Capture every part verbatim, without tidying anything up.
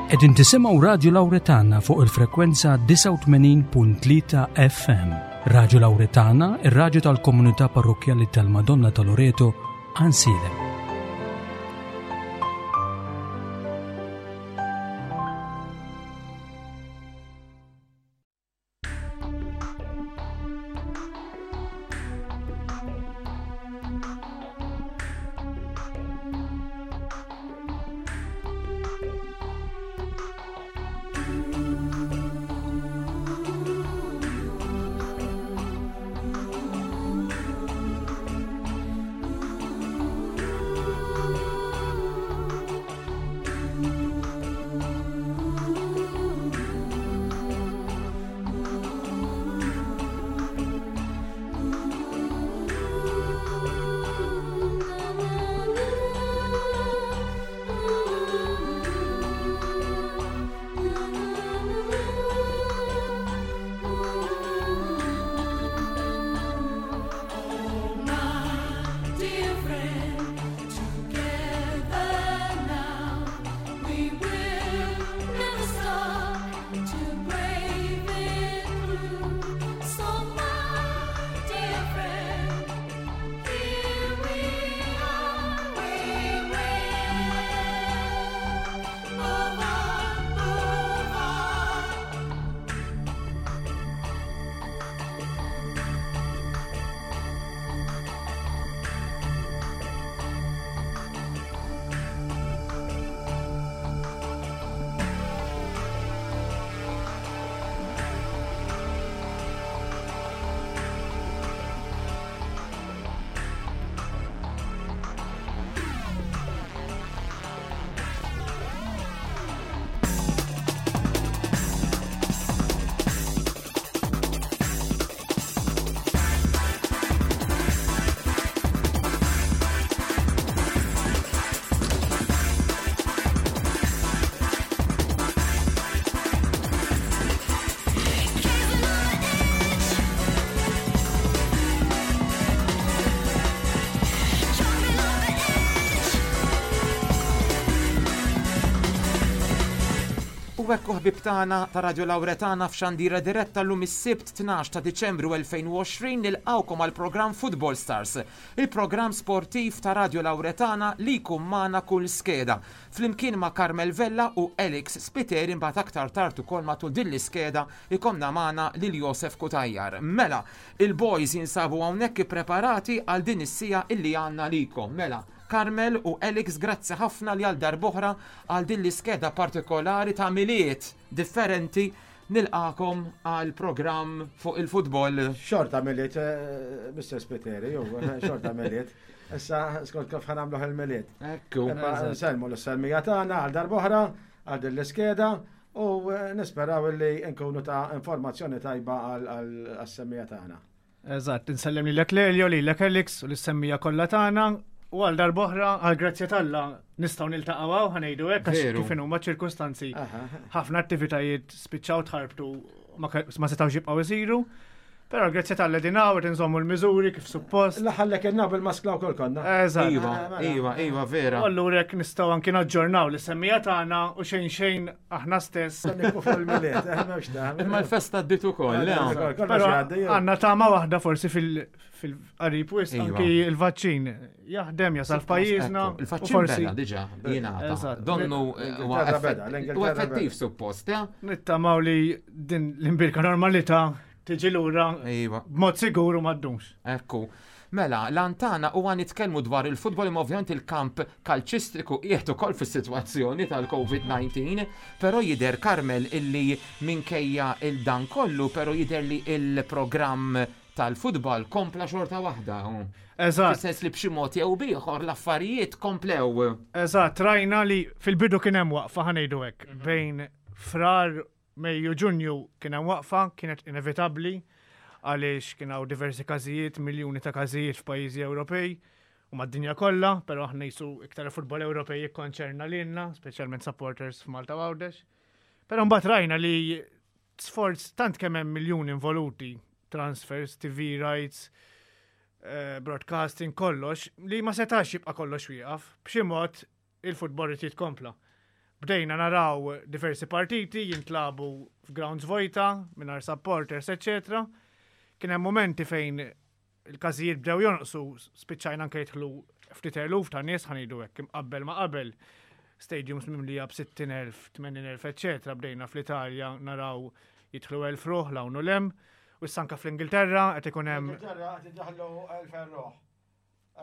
Qegħdin tisimgħu Radju Lawretana fuq il-frekwenza disgħa u tmenin punt tlieta F M. Radju Lawretana, ir-radju tal-komunità parrokkjali tal-Madonna ta' Loreto, Għajnsielem. U hekk ħbib tagħna ta' Radio Lawretana f'xandira diretta llum is-Sibt tnax ta' Diċembru elfejn u għoxrin nilqgħukom għal programm Football Stars, il-programm sportiv ta' Radio Lawretana li jkun magħna kull skeda. Flimkien ma' Carmel Vella u Alex Spiteri imbagħad aktar tard ukoll matul din l-iskeda ikomna magħna lil Josef Cutajar. Mela, il-boys jinsabu hawnhekk ippreparati għal din is-sija illi għandna likom. Mela, Carmel u Alex, grazzi ħafna li għal darb'oħra għal din l-iskeda partikolari ta' Milied differenti nilqakom għal programm fuq il-futbol. Xorta Milied, eh, Mister Spiteri, ju, xorta Milied. Issa skont kif ħanamluh il-Milied. Ekku. Imma nsellmu l-sellmija tagħna għal darb'oħra għal din l-iskeda u, eh, nisperaw li nkunu ta' informazzjoni tajba għal, għal-semmija tagħna. Eżatt, insellem lilek Lelio, lilek Alex u l-semmija kollha tagħna. U għal darb'oħra, għal grazzja t'Alla, nistgħu niltaqgħu hawn, ħanejdu hekk, għax Veru. kif inhuma ċirkustanzi. Aha. Ħafna attivitajiet spiċċaw tħarbtu ma ke-, ma setgħux jibqgħu isiru. Però grazzja t'Alla din hawn qed inżommu l-miżuri kif suppost. L-aħħar li kellna bil-maskla wkoll konna. Eżatt. Iva, Eh, mela. iva, iva, vera. U allura hekk nistgħu anki naġġornaw l-semmija tagħna u xejn xejn aħna stess. Se nikbu fuq il-Milied, eh, m'hemmx ta' Imma l-festa għaddiet ukoll, le? Għaddiet ukoll, kollox Però jgħaddi, jew. għandna tama waħda forsi fil-, fil-qarib wisq, Iva. anki il-vaċċin jaħdem jasal f'pajjiżna Ekku, il-vaċċin u forsi beda diġà jingħata. Eżatt. Donnu, eh, huwa L-Ingilterra effett- beda, l-Ingilterra huwa effettiv beda. suppost, eh? Nittamaw li din l-imbirka normalità tiġi lura Iva. b'mod sigur u ma ddumx. Ekku. Mela, l-antana huwa nitkellmu dwar il-futbol, imma ovvjament il-kamp kalċistiku qiegħed ukoll fis-sitwazzjoni tal-COVID nineteen, però jidher Carmel illi minkejja il-dan kollu, però jidher li il-programm tal-futbol kompla xorta waħda. Eżatt. Fis-sens li b'xi mod jew b'ieħor l-affarijiet komplew. Eżatt, rajna li fil-bidu kien hemm waqfa, ħanejdu hekk, Mhm. bejn Frar, Mejju, Ġunju kien hemm waqfa, kienet inevitabbli għaliex kien hawn diversi każijiet, miljuni ta' każijiet f'pajjiżi Ewropej u mad-dinja kollha, però aħna jisu iktar futbol Ewropej jikkonċerna lilna, speċjalment supporters f'Malta u Għawdex. Però mbagħad rajna li sforz tant kemm hemm miljuni involuti, transfers, T V rights, eh, broadcasting, kollox, li ma setax jibqa' kollox wieqaf. B'xi mod il-futbol irid jitkompla. Bdejna naraw diversi partiti jintlabu f'grounds vojta, mingħajr supporters, eccetera. Kien hemm momenti fejn il-każijiet bdew jonqsu, spiċċajna anke jidħlu ftit eluf ta' nies, ħa ngħidu hekk, imqabbel ma' qabel stadiums mimlija b'sittin elf, tmenin elf, eccetera. Bdejna fl-Italja naraw jidħlu elf ruħ 'l hawn u 'l hemm. U issa anke fl-Ingilterra qed ikun hemm Ingilterra qed idaħlu elf ruħ.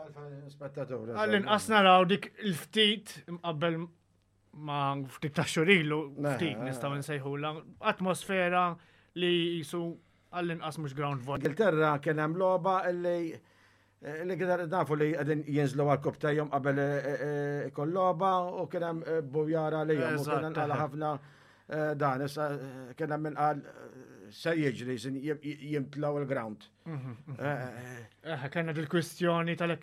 Elf spettatur. Għall-inqas naraw dik il-ftit imqabbel ma' ftit ta' xhur ilu, ftit nistgħu nsejħula atmosfera li jisu għall-inqas mhux ground void. Ingilterra kien hemm logħba illi li kien nafu li qegħdin jinżlu għal qabel kull logħba u kien hemm bujara li u kien għala ħafna dan issa kien hemm min qal se jiġri jimtlaw il-ground. Eh, kellna dil-kwistjoni tal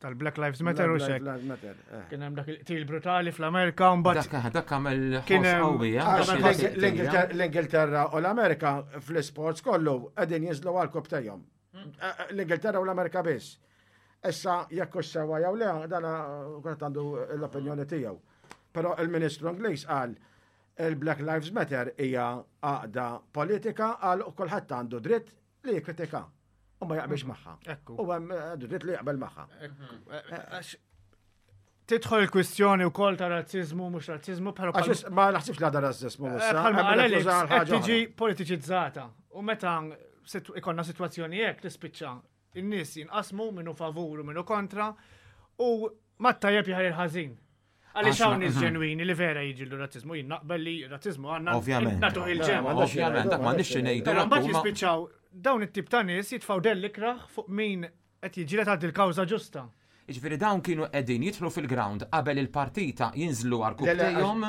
tal-Black Lives Matter u xek. Kien hemm dak il-qtil brutali fl-Amerika u mbagħad Dak dak għamel ħoss qawwi. L-Ingilterra u l-Amerika fl-sports kollu qegħdin jinżlu għal L-Ingilterra u l-Amerika biss. Issa jekk hux sewwa jew le, dana kulħadd għandu l-opinjoni tiegħu. Però il-Ministru Ingliż qal il-Black Lives Matter hija għaqda politika, qal u kulħadd għandu dritt li jikkritika u ma jaqbilx magħha. U hemm għandu dritt li jaqbel magħha. Tidħol il-kwistjoni wkoll ta' razzizmu, mhux razzizmu, però ma naħsibx li għadha razzizmu. Bħalma tiġi politiċizzata. U meta ikollna sitwazzjoni hekk tispiċċa in-nies jinqasmu minnu favur u minnu kontra u mat-tajjeb jaħar il-ħażin. Għaliex hawn nies ġenwini li vera jiġġieldu razzizmu, jien naqbel li razzizmu għandna Ovvjament. nagħtuh il-ġenb. Ovvjament, dak m'għandniex ngħidu. Però mbagħad jispiċċaw dawn it-tip ta' nies jitfgħu dell ikrah fuq min qed jiġġieled għal il-kawża ġusta. Jiġifieri dawn kienu qegħdin jidħlu fil-ground qabel il-partita, jinżlu għarkupptejhom.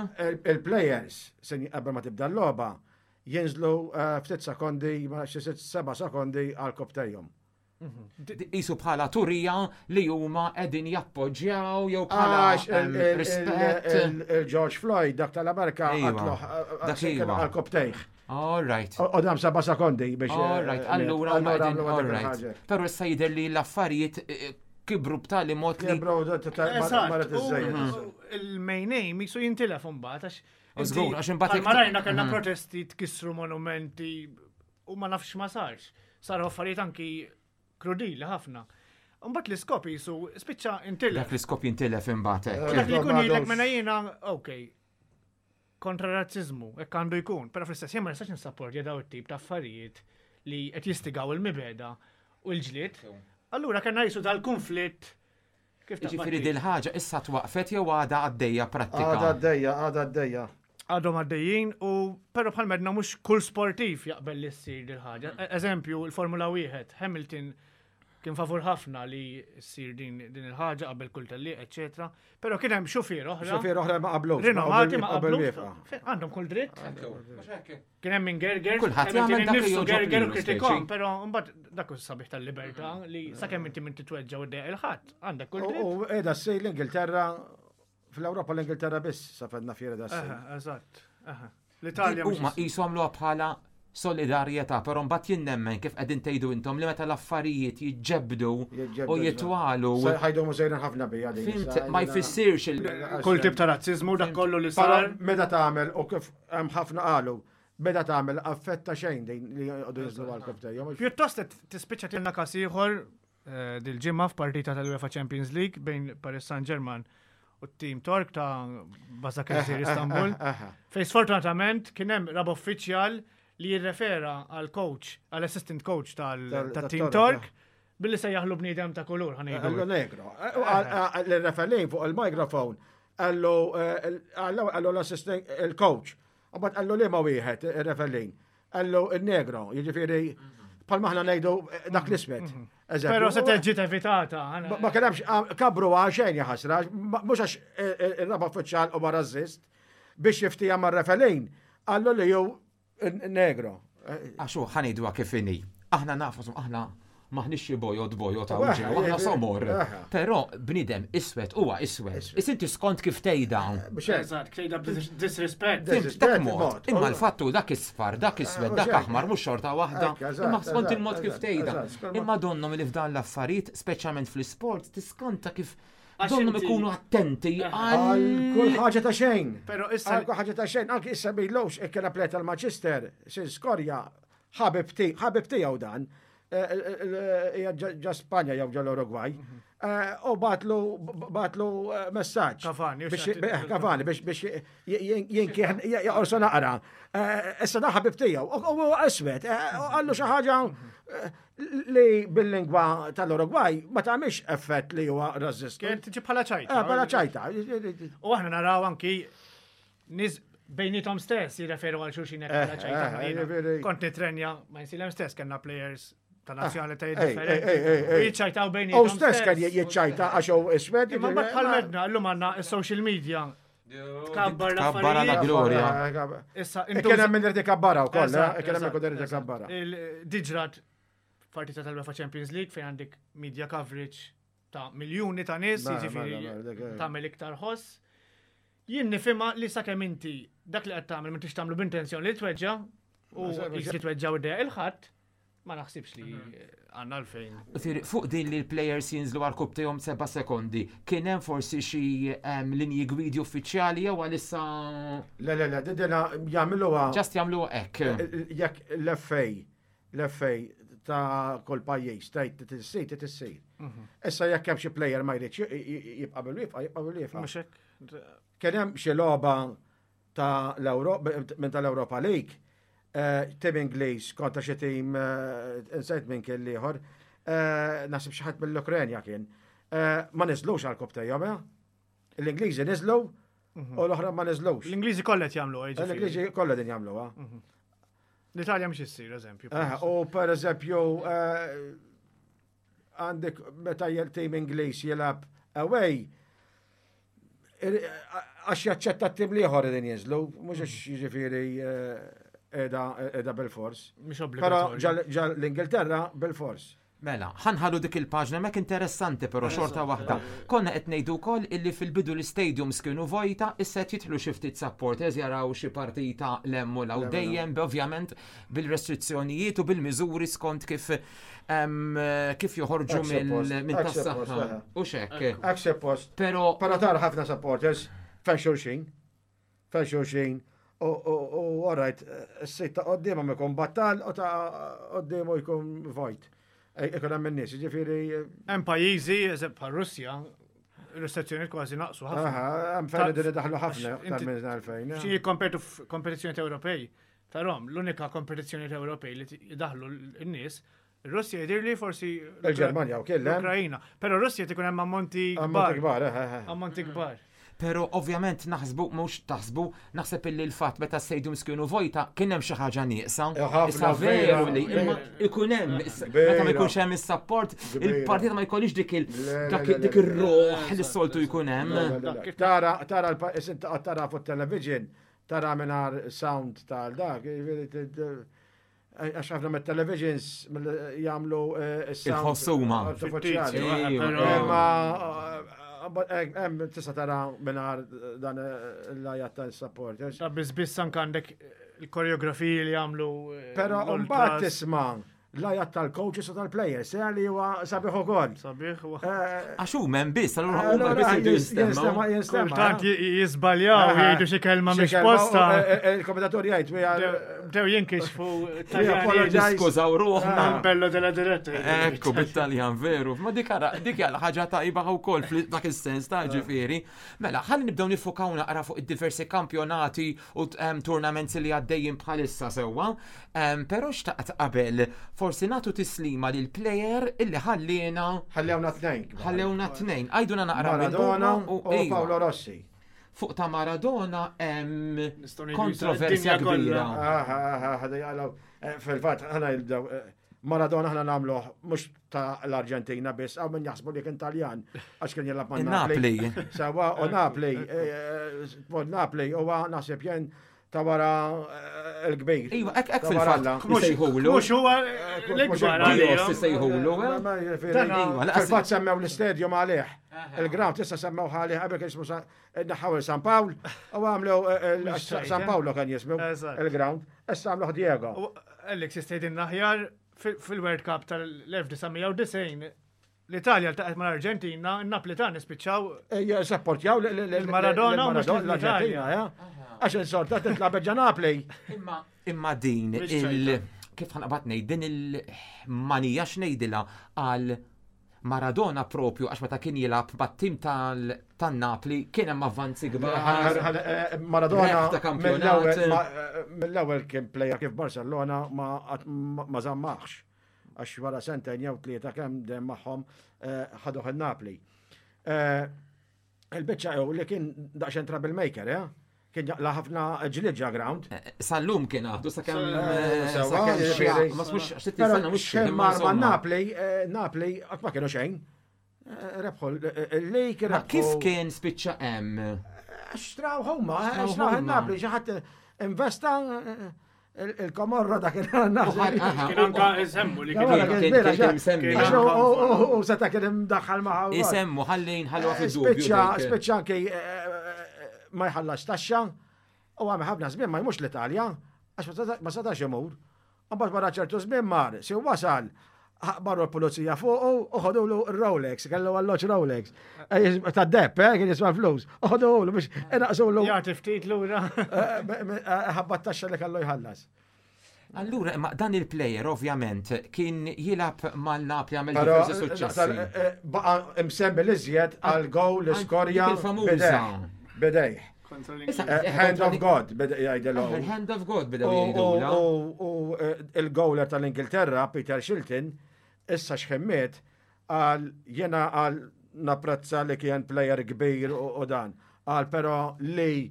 Il-players, qabel ma tibda l-logħba, jinżlu eh, ftit sekondi, ma xi sitt seba' sekondi għarkupptejhom. Jisu bħala turija li huma qegħdin jappoġġjaw jew bħala Għax em, rispett. il-George Floyd, dak tal-Amerika, Iva. qatluh Dak iva. għarkupptejh. All right. U dam seba' sekondi biex. All right, allura huma qegħdin, għamlu all dik right. il-ħaġa. Però issa jidher li l-affarijiet eh, kibru b'tali mod li Kibru, marret U iż-żejjed. il-main aim jisu jintilef imbagħad għax. U żgur, għax imbagħad Bħalma rajna kellna Mhm. protesti, tkissru monumenti u ma nafx ma sarx. Saru affarijiet anki krudili ħafna. Mbagħad l-iskop jisu spiċċa intilef. Dak l-iskop jintilef imbagħad hekk. Dak li jkun Ma jgħidlek għadux. mena jiena, ok, kontra razzizmu, hekk għandu jkun, però fl-istess jien ma nistax nisapportja daw it-tip ta' affarijiet li qed jistigaw il-mibegħda u l-ġlied. Allura kellna jisu dal-konflitt kif Jiġifieri taqbad dil-ħaġa issa twaqfet jew għadha għaddejja prattika? Għadha għaddejja, għadha għaddejja. Għadhom għaddejjin u però bħal medna mhux kull sportiv jaqbel li ssir dil-ħaġa. E- Eżempju, il-Formula wieħed, Hamilton kien favur ħafna li ssir din din il-ħaġa qabel kull tellieq, eċetera. Però kien hemm xufier oħra. Xufier oħra ma qablux. Rinomati ma qabel qablux. wieqfa. Għandhom kull dritt. Kien hemm min gerger, Kulħadd Hamilton jagħmel dak li innifsu jogħġob gerger u lilu, kritikom, speċi. però mbagħad dak hu sabiħ tal-libertà li sakemm inti minn titweġġa u ddejjaq il-ħadd, għandek kull dritt. U qiegħda ssir l-Ingilterra, fl-Ewropa l-Ingilterra biss sa fedna fiera da ssir. Aha, Eżatt. aha. L-Italja mhux Huma qisu għamluha bħala solidarjetà, però mbagħad jien nemmen kif qegħdin tgħidu intom li meta l-affarijiet jiġġebdu Jiġġebdu, u jitwalu. Ħajdu sejrin ħafna bija din. Fhimt, issa, ma jiena- jfissirx il- kull tip ta' razzizmu, dak kollu li Però sar. meta tagħmel u kif hemm ħafna qalu, meta tagħmel affetta xejn din li jqogħdu jinżlu għarkupptejhom. Pjuttost qed tispiċċa tilna każ ieħor eh, dil-ġimgħa f'partita tal-UEFA Champions League bejn Paris Saint-Germain u t-tim Tork ta' Basaksehir Istanbul. Fej sfortunatament kien hemm raba' uffiċjal li jirrefera għal coach, għal assistant coach Tal- tal-tim tat-Tork, Tork billi sejjaħlu bniedem ta' kulur, Għallu ħa ngħidu. negro. L-referee fuq il-mikrofon għallu għallu l-assistant il-coach. Għabat għallu li ma wieħed il-referee. Għallu il-negro, jiġifieri bħalma aħna ngħidu dak l-iswed. Però se ġiet evitata. Ma ma kienx kabru għaxejn jaħasra, mhux għax il-raba' uffiċjal u razzist biex jiftija ma' referee. Għallu li jew negro. Għax hu ħa ngħiduha kif inhi. Aħna nafu, aħna maħniex xi bojod bojod ta' ġew, aħna somor. Però bniedem iswed huwa iswed. Is inti skont kif tgħidha. Biex hekk. Eżatt, tgħidha b'disrespect. Fhimt, dak mod. mod. Imma l-fattu dak isfar, dak iswed, dak mhux hekk. aħmar, mhux xorta waħda. Hekk, eżatt, Imma skont eżatt, il-mod kif eżatt, tgħidha. eżatt, skont Imma donnom li f'dan l-affarijiet, speċjalment fl-isport, tiskanta kif Donnhom ikunu attenti għal kull ħaġa ta' xejn. Però issa Għal kull ħaġa ta' xejn, anki issa bilux ikkena play tal-Manchester, sin skorja ħabib ħabib tiegħu dan, hija ġa Spanja jew ġa l-Uruguay. U bagħatlu bagħatlu messaġġ. Cavani, biex Cavani biex biex jinkieħ jaqorsu naqra. Issa da ħabib tiegħu u iswed, qallu xi ħaġa li bil-lingwa tal-Uruguay ma tagħmilx effett li huwa razzist. Kien tiġi bħala ċajta. Bħala ċajta. U aħna naraw anki nies bejnietom stess jirreferu għal xulxin hekk bħala ċajta. Kont nitrenja ma' Għajnsielem stess kellna players ta' nazzjonalitajiet differenti. Jiċċajtaw bejnietom. U stess kien jiċċajta għax hu iswed. Imma mbagħad bħal medna llum għandna is-social media. Tkabbar Tkabbar la glorja. Issa Kien hemm min irid ikabbara wkoll, kien hemm min irid ikabbara. Diġrat partita tal-UEFA Champions League fejn għandek media coverage ta' miljuni ta' nies, jiġifieri tagħmel iktar ħoss. Jien nifhimha li sakemm inti dak li qed tagħmel m'intix tagħmlu b'intenzjoni li tweġġa' u jisir tweġġa' u dejja il-ħadd, ma naħsibx li għandna għalfejn. Fuq din li l-players jinżlu għal seba' sekondi, kien hemm forsi xi linji gwidi uffiċjali jew għalissa. Le, le, le, dina jagħmluha. Just jagħmluha hekk. Jekk l-F A, l-F A ta' kull pajjiż tgħid tissir, tissir. Issa jekk hemm xi player ma jridx jibqa' bil-wieqfa, jibqa' bil-wieqfa. Mhux hekk. Kien hemm xi logħba ta' l-Ewropa minn tal-Europa League, tim Ingliż kontra xi tim insejt minn kien l-ieħor, naħseb xi ħadd mill-Ukrenja kien. Ma niżlux għal koptejhom, L-Ingliżi niżlu u l-oħra ma niżlux. L-Ingliżi kollha qed jagħmluha, jiġifieri. L-Ingliżi kollha din jagħmluha. L-Italja mhux issir, eżempju. U per eżempju għandek meta tim Ingliż jilgħab away, għax jaċċetta t-tim l-ieħor din jinżlu, mhux għax jiġifieri edha bil-fors. Però ġal l-Ingilterra bil-fors. Mela, ħanħalu dik il-paġna mek interessanti però xorta waħda. Konna qed ngħidu wkoll illi fil-bidu l-stadiums kienu vojta, issa qed jidħlu xi ftit supporters jaraw xi partita lemmu law dejjem ovvjament bil-restrizzjonijiet u bil-miżuri skont kif kif joħorġu minn tas-saħħa. U xek. Hekk suppost. Però però tara ħafna supporters fejn xulxin. Fejn xulxin. U all right, s-sit ta' qoddiemhom ikun battal u ta' qoddiemu jkun vojt. Ikun hemm in-nies, jiġifieri. Hemm pajjiżi, eżempju bħal Russja, restrizzjonijiet kważi naqsu ħafna. Hemm fejn qegħdin idaħlu ħafna aktar minn għalfejn. Xi jikkompetu f'kompetizzjonijiet Ewropej, tarhom l-unika kompetizzjonijiet Ewropej li jdaħlu n-nies, Russja jidhirli forsi il-Ġermanja wkoll, l-Ukrajna. Però Russja tkun hemm ammonti kbar. Ammonti kbar. Pero ovvjament naħsbu, mhux taħsbu, naħseb illi l-fatt meta stadiums kienu vojta kien hemm xi ħaġa nieqsa. Issa veru li imma ikun hemm meta ma jkunx hemm is-support, il-partita ma jkollix dik dik ir-ruħ li s-soltu jkun hemm. Tara tara tara fuq television, tara mingħajr sound tal dak, għax ħafna mit-televisions jagħmlu s-sound. Il-ħossuma. Imma hemm tista' tara mingħajr dan l-ajat tal-supporters. Ta' biss biss anke għandek il-koreografiji li jagħmlu. Però mbagħad tisma' l-ajat tal-coaches u tal-players, se li huwa sabiħ ukoll. Sabiħ huwa. Għax huma hemm biss, allura huma biss jridu jistemgħu. Kultant jiżbaljaw jgħidu xi kelma mhix posta. Il-kommentatur jgħid bdew jinkixfu Niskużaw ruħna. Bello della diretta. Ekku bit-Taljan veru. Ma dik dik hija ħaġa tajba wkoll f'dak is-sens ta' ġifieri. Mela, ħalli nibdew nifukaw naqra fuq id-diversi kampjonati u tournaments li għaddejjin bħalissa sewwa. Però xtaqt qabel forsi nagħtu tislima lil player illi ħallina. Ħallewna tnejn. Ħallewna tnejn. Għajduna naqra Maradona u Paolo Rossi. Fuq ta' Maradona hemm kontroversja kbira. Fil-fatt ħana jibdew Maradona ħana nagħmluh mhux ta' l-Arġentina biss, hawn min jaħsbu li kien Taljan għax kien jilgħab ma' Napli. Sawa u Napli, Napli huwa naħseb jien ta' wara l-kbir. Iva, hekk hekk fil-fatt isejħulu. Mhux huwa l-ikbar għalih. Isejħulu. Fil-fatt semmew l-istadium għalih. Il-ground issa semmew għalih qabel kien ismu naħaw San Pawl u għamlu San Paolo kien jismu il-ground. Issa għamluh Diego. Alex jistedinna aħjar fil-World Cup tal-elf disa' mija u disgħin L-Italja ltaqgħet mal-Arġentina, n-Naplitani spiċċaw Sapportjaw Il-Maradona u mhux l-Arġentina, ja. Għax insorta titla' ġa Napli. Imma imma din Mhix il ċajta. Kif ħa naqbad ngħid din il-manija x'ngħidilha għal Maradona propju, għax meta kien jilgħab mat-tim tan-Napli kien hemm avvanzi kbar. Maradona Rebħ ta' kampjonat. mill-ewwel ma- mill-ewwel kien player kif Barcelona ma ma żammaħx. Għax wara sentejn jew tlieta kemm dem magħhom eh, ħaduh il-Napli. Eh, Il-biċċa jew li kien daqsxejn troublemaker, eh? Kien jaqla ħafna ġlied ġo ground. Sal-lum kien għadu sakemm Eh, sewa, sakemm xi jiġifieri. ma smux xi Però sena mhux xejn mar ma' Napli, eh, Napli qatt ma kienu xejn. Eh, Rebħu l-lig. Ma kif kien spiċċa hemm? Xtraw huma, Xtraw xtraw huma. il-Napli, xi ħadd investa eh, il-Komorra dak Uħar- aha, Kien anka isemmu li Kien kien kien- kien kien kien msemmi. Kien anka- U seta kien imdaħħal maħħa. Isemmu ħalli nħalluha fid-dubju. Spiċċa, dik. spiċċa anki eh, ma jħallas taxxa u għamel ħafna żmien ma jmux l-Italja għax ma seta- ma setax imur. Mbagħad wara ċertu żmien mar, si wasal marru l-pulizija fuqu u ħadulu Rolex, kellu għalloċ Rolex. Eh, Ta' depp, eh, kien jiswa flus. U ħadulu biex inaqsulu Jagħti ftit lura. ħabba t-taxxa li kellu jħallas. Allura, imma dan il-player ovvjament kien jilgħab mal-Napli, għamel Però diversi suċċessi. eh, baqa imsemmi l-iżjed għal gowl li skorja Dik il-famuża. bidejh. Bidejh. Kontra Issa, l-Ingliż. Eh, Hand of God, bidejh jgħidilhom. Il-Hand of God bidew U- jgħidula. U u, eh, il-gowler tal-Ingilterra, Peter Shilton, issa xħemmiet, għal jena għal napprezza li kien player kbir u u dan. Għal pero li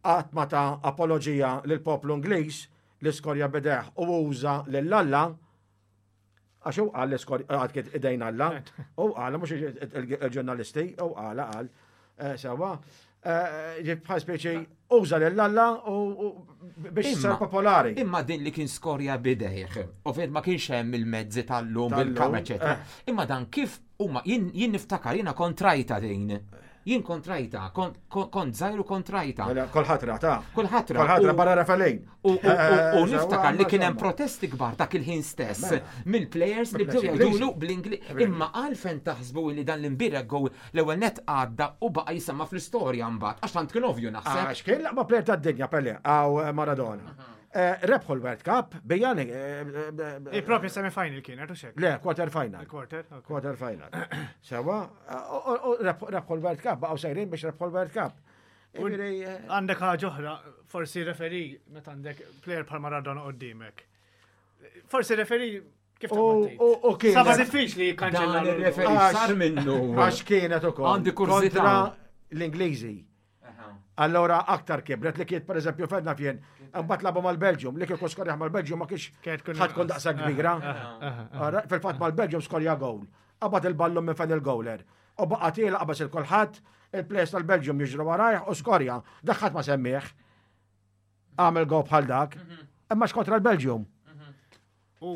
qatt ma ta apologija lil poplu Ingliż li skorja bidejh u uża lil Alla, għax u qal li skorja għad kien idejn Alla, u qal mhux il-ġurnalisti, u qal qal eh, sewa. Eh, ġib bħal speċi uża lil Alla u u biex sar Imma- popolari. Imma din li kien skorja bidejh, ovvjament ma kienx hemm il-mezzi tal-lum Tal-lum, bil-kamera, eċetera. eh. Imma dan kif huma jien jien niftakar jiena kontrajta din. Jien kontrajta, kont kont żgħir u kontrajta. Mela, Kulħadd ra ta' Kulħadd ra. Kulħadd ra U- barra referee. U, u, u, u Eh, niftakar li kien hemm insomma. protesti kbar dak il-ħin stess Mela. mill-players li bdew Mill-players jgħidulu bl-Ingliż. Imma għalfejn taħsbu li dan l-imbierek goal l-ewwel net għadda u baqa' jisemma fl-istorja mbagħad, għax tant kien ovvju naħseb. Għax kien l-aqwa player tad-dinja Pele għaw eh, Maradona. Eh, Rebħu l-World Cup, bijani. Il-propja semi-final kienet, u xek. Le, quarter final. Il-quarter. ok. Quarter final. Sewa, u- u- u rebħu rebħu l-World Cup, baqgħu sejrin biex rebħu l-World Cup. Jiġifieri, eh, Għandek ħaġa oħra, forsi referee meta għandek player bħal Maradona qoddimek. Forsi referee kif U- taqbad u- u tgħid? kienet- Saba diffiċli jikkanċella. Dan ir-referee Għax- sar minnu. Għax kienet ukoll. Għandi kurżità. Kontra l-Ingliżi. Allora aktar kibret li kiet per eżempju fedna fjen, mbagħad labu mal-Belġium, li kieku skorja mal-Belġium ma kienx Kienet tkun ħadd tkun daqsa kbira. Ara, fil-fatt mal-Belġium skorja gowl. Qabad il-ballun minn fejn il-gowler. U baqa' tiela qabas il-kulħadd, il-players tal-Belġium jiġru warajh u skorja. Dak ħadd ma semmih. Għamel gowl bħal dak. Imma x'kontra l-Belġium. U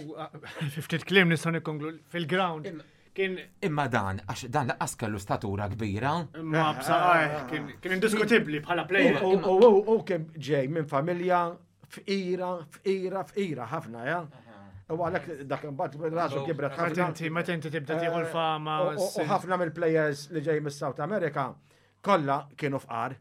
ftit kliem nistgħu nikkonklu fil-ground kien Imma dan, għax dan laqqas kellu statura kbira. ma bsaqajh kien kien indiskutibbli bħala player. U u- u kien ġej minn familja fqira, fqira, fqira ħafna, ja. U għalhekk dak imbagħad rasu kibret Meta ħafna. inti meta inti tibda tieħu l-fama. U- U u ħafna mill-players li ġej mis-South America kollha kienu fqar.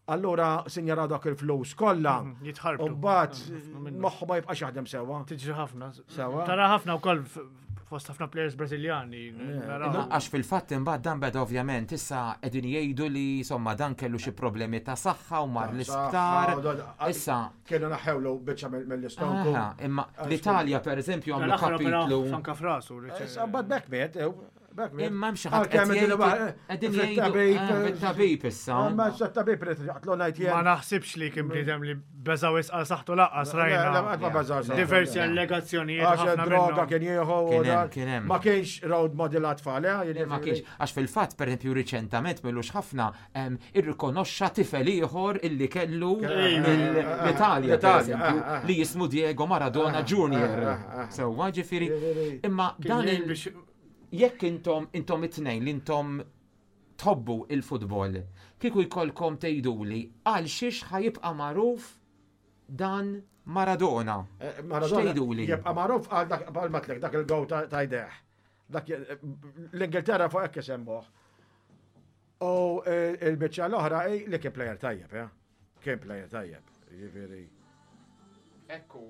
Allura sinjara dak il-flus kollha. Mhm, jitħarbtu. U mbagħad Ħafna minnhom. moħħu ma jibqax jaħdem sewwa. Tiġri ħafna. Sewwa. Tara ħafna wkoll f- fost ħafna players Brażiljani. naraw. Għax fil-fatt imbagħad dan beda ovvjament issa qegħdin jgħidu li insomma dan kellu xi problemi ta' saħħa u mar l-isptar. Issa Kienu naħewlu biċċa mill- mill-istonku. Aha, imma l-Italja per eżempju għamlu L-aħħar opera kapitlu. fanka frasu. li ċe- Issa mbagħad bekk miet, ew, bekk miet. Imma hemm xi ħadd Għalkemm qed id- jgħidu- qegħdin jgħidu fit-tabib, eh, fit-tabib issa. Ma s-tabib rrid jaqtlu ngħid Ma jien. naħsibx li kien bniedem li beża wisq għal saħħtu laqqas Le, le, rajna. qatt ma beża' saħħtu. Diversi allegazzjonijiet Għax ħafna droga minnhom. kien jieħu u Kien hemm, dan. kien hemm. Ma kienx road model għat-tfal, eh? Le, Ma kienx, għax fil-fatt, per esempio, riċentament millux ħafna em, irrikonoxxa tifel ieħor illi kellu mill-Italja, per L-Italja, eżempju, eh, eh. li jismu Diego Maradona Junior. eh, eh. Sewwa ġifieri, Ġifieri. imma Kien dan jgħin il biex jekk intom intom it-tnejn li intom tħobbu il-futbol, kieku jkollkom tgħiduli għal xiex ħa jibqa' magħruf dan Maradona. Eh, Maradona X'tgħiduli? jibqa' magħruf għal dak għal matlek dak il-gow ta' ta' jdejh. Dak l-Ingilterra fuq hekk isemmuh. U il-biċċa l-oħra li kien player tajjeb, eh? Kien player tajjeb. Jiġifieri. Ekku.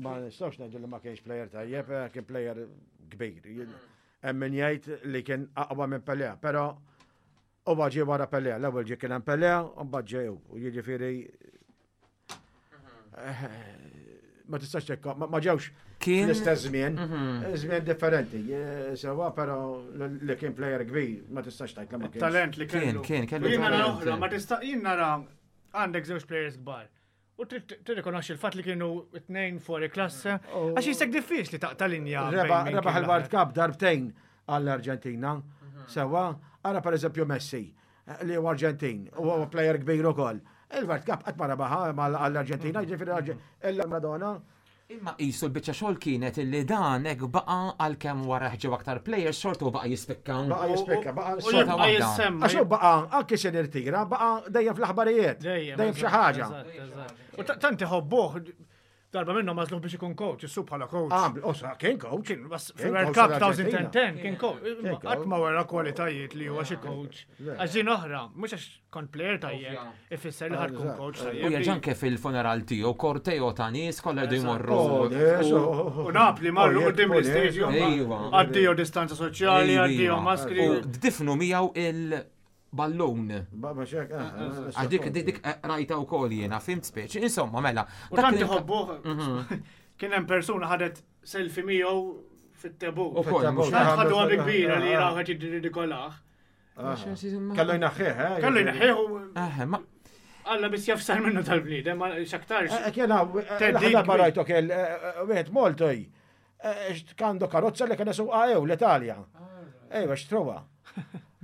Ma nistgħux ngħidu li ma kienx player tajjeb, eh, kien player kbir. Hemm min jgħid li kien aqwa minn Pelé, però huwa ġie wara Pelé, l-ewwel ġie kien hemm Pelé, u mbagħad ġew. U jiġifieri eh, ma tistax tekka, ma ġewx Kien l-istess żmien, żmien differenti. Eh, Sewa, però li kien player kbir, ma tistax tgħid li ma kienx. Talent li Kien, kellu. kien, kellu Jien nara talent. oħra, ma tista' jien nara għandek żewġ players kbar. U trid tirrikonoxxi l-fatt li kienu tnejn fuori klasse. Għax jisek diffiċli taqta' linja. bejn Reba- min Rebaħ kien il-World l-aħjar. Cup darbtejn għall-Arġentina. Sewa, ara per eżempju Messi, li huwa Arġentin, u huwa player kbir ukoll. Il-World Cup qatt ma rebaħha għall-Arġentina, jiġifieri illa Maradona. Imma qisu l-biċċa xogħol kienet illi dan hekk baqa' għalkemm wara ħġew aktar players xorta u baqa' jispikka. Baqa' jispikka, baqa' U xorta jibqa' waħda. jissemma. Għax hu baqa' anki se nirtira, baqa' dejjem fl-aħbarijiet, Dejjem, dejjem f'xi eżatt, ħaġa. eżatt, eżatt. U ta- tant iħobbuh, darba minnhom għażluh biex ikun coach, issu bħala coach. Ah, osa, kien coach. Kien bas Kien fil-World coach Cup tal-Arġentina. elfejn u għaxra kien coach. Kien Qatt coach. ma wera kwalitajiet li huwa xi coach. Għax din oħra, mhux għax kont player tajjeb, ifisser li ħad tkun coach U tajjeb. jerġa' anke fil-funeral tiegħu korteo ta' nies kollha jdu jmorru. Oh, nies, oh, U Napli marru oh, quddiem oh, l-istadium. Ejwa. Addio distanza soċjali, addio maskri. U difnu miegħu il-ballon. Ba- ma xek, eh, eh, Għax dik dik dik rajta wkoll jiena, fimt speċi. Insomma, mela. U dak tant li- iħobbuh. Kien hemm persuna ħadet selfie miegħu fit-tebut. Ukoll, mhux Tant ħadu għabi kbira li raw qed jirridikolah. Kellu jnaħħih, eh? Kellu jneħħih u Eh, ma Alla biss jafsar minnu tal-bniedem, ma x'aktarx. Eh, Kien hawn, eh, Teddid l-aħħar darba kbir. rajtu kien eh, wieħed Moltoj. Kandu karozza li kien isuqha ew l-Italja. Ejwa, xtruha.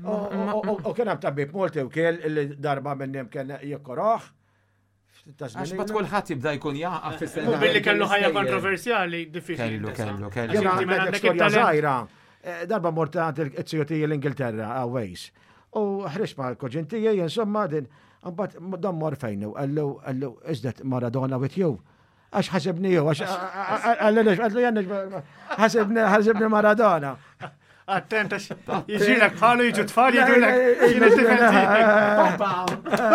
U kien hemm tabib Molti wkoll li darba minnhom kien jikkoroh. Għax bat kulħadd jibda jkun jaqaf fis U billi kellu ħajja kontroversjali, diffiċli. Kellu, tintesa. kellu, kellu. Għax Jena inti minn għandek għandek storja it-talent. żgħira. Eh, Darba mort għand il-ziju tiegħi l-Ingilterra, għawejs. U ħriġt ma' l-koġin tiegħi, insomma, din, mbagħad dan mor fejn u qallu, qallu, is that Maradona with you? Għax ħasibni ju, għax qallu, qallu, jenni, ħasibni, ħasibni Maradona. Attent, għax jiġilek bħalu jiġu tfal jgħidulek jiena tifel tiegħek.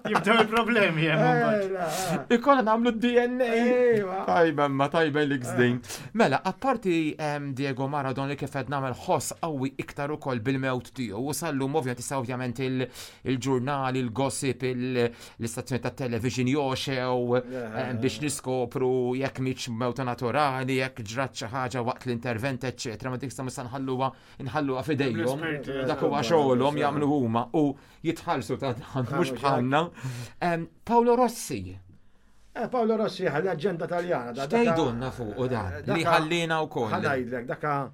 Jibdew il-problemi hemm imbagħad. Ikolla nagħmlu D N A. Ejwa. Tajba, ma tajba li gżdin. Mela, apparti em, Diego Maradona li kif qed nagħmel ħoss qawwi iktar ukoll bil-mewt tiegħu, u sallum ovvjament issa ovvjament il- il-ġurnali, il-gossip, il- l-istazzjoni tat-television joxew em, biex niskopru jekk mietx mewta naturali, jekk ġrat xi ħaġa waqt l-intervent, eċċetera. Ma dik sa mista nħalluha nħalluha f'idejhom. L-esperti, Dak huwa xogħolhom jagħmlu huma u jitħallsu ta' dan mhux bħalna. Em, Paolo Rossi, Eh, Paolo Rossi, leġenda taljana. da- daka- x'tgħidulna fuq u dan li Daka- ħallina wkoll. Ħa ngħidlek, daka,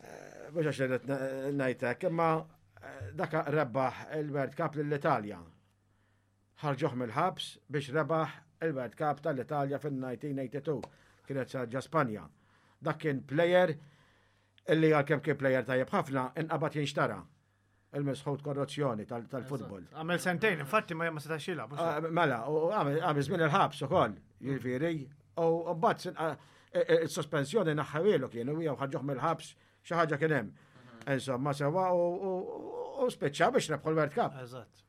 eh, mhux għax irrid ngħidlek, imma eh, daka rebaħ il-World Cup lill-Italja. Ħarġuh mill-ħabs biex rebaħ il-World Cup tal-Italja fil-elf disa' mija u tnejn u tmenin. Kienet ġo Spanja. Dak kien player illi għalkemm kien player tajjeb ħafna inqabad jinxtara. Il-misħut korruzzjoni tal- tal-futbol. Għamel sentejn, infatti ma ma setax jilgħab. Ah, Mela, u għamel għamel żmien il-ħabs ukoll, jiġifieri, u mbagħad il-sospensjoni naħħawielu kienu jew ħarġuh mill-ħabs xi ħaġa kien hemm. Insomma, sewa u u- u spiċċa biex rebħu l-World Cup. Eżatt.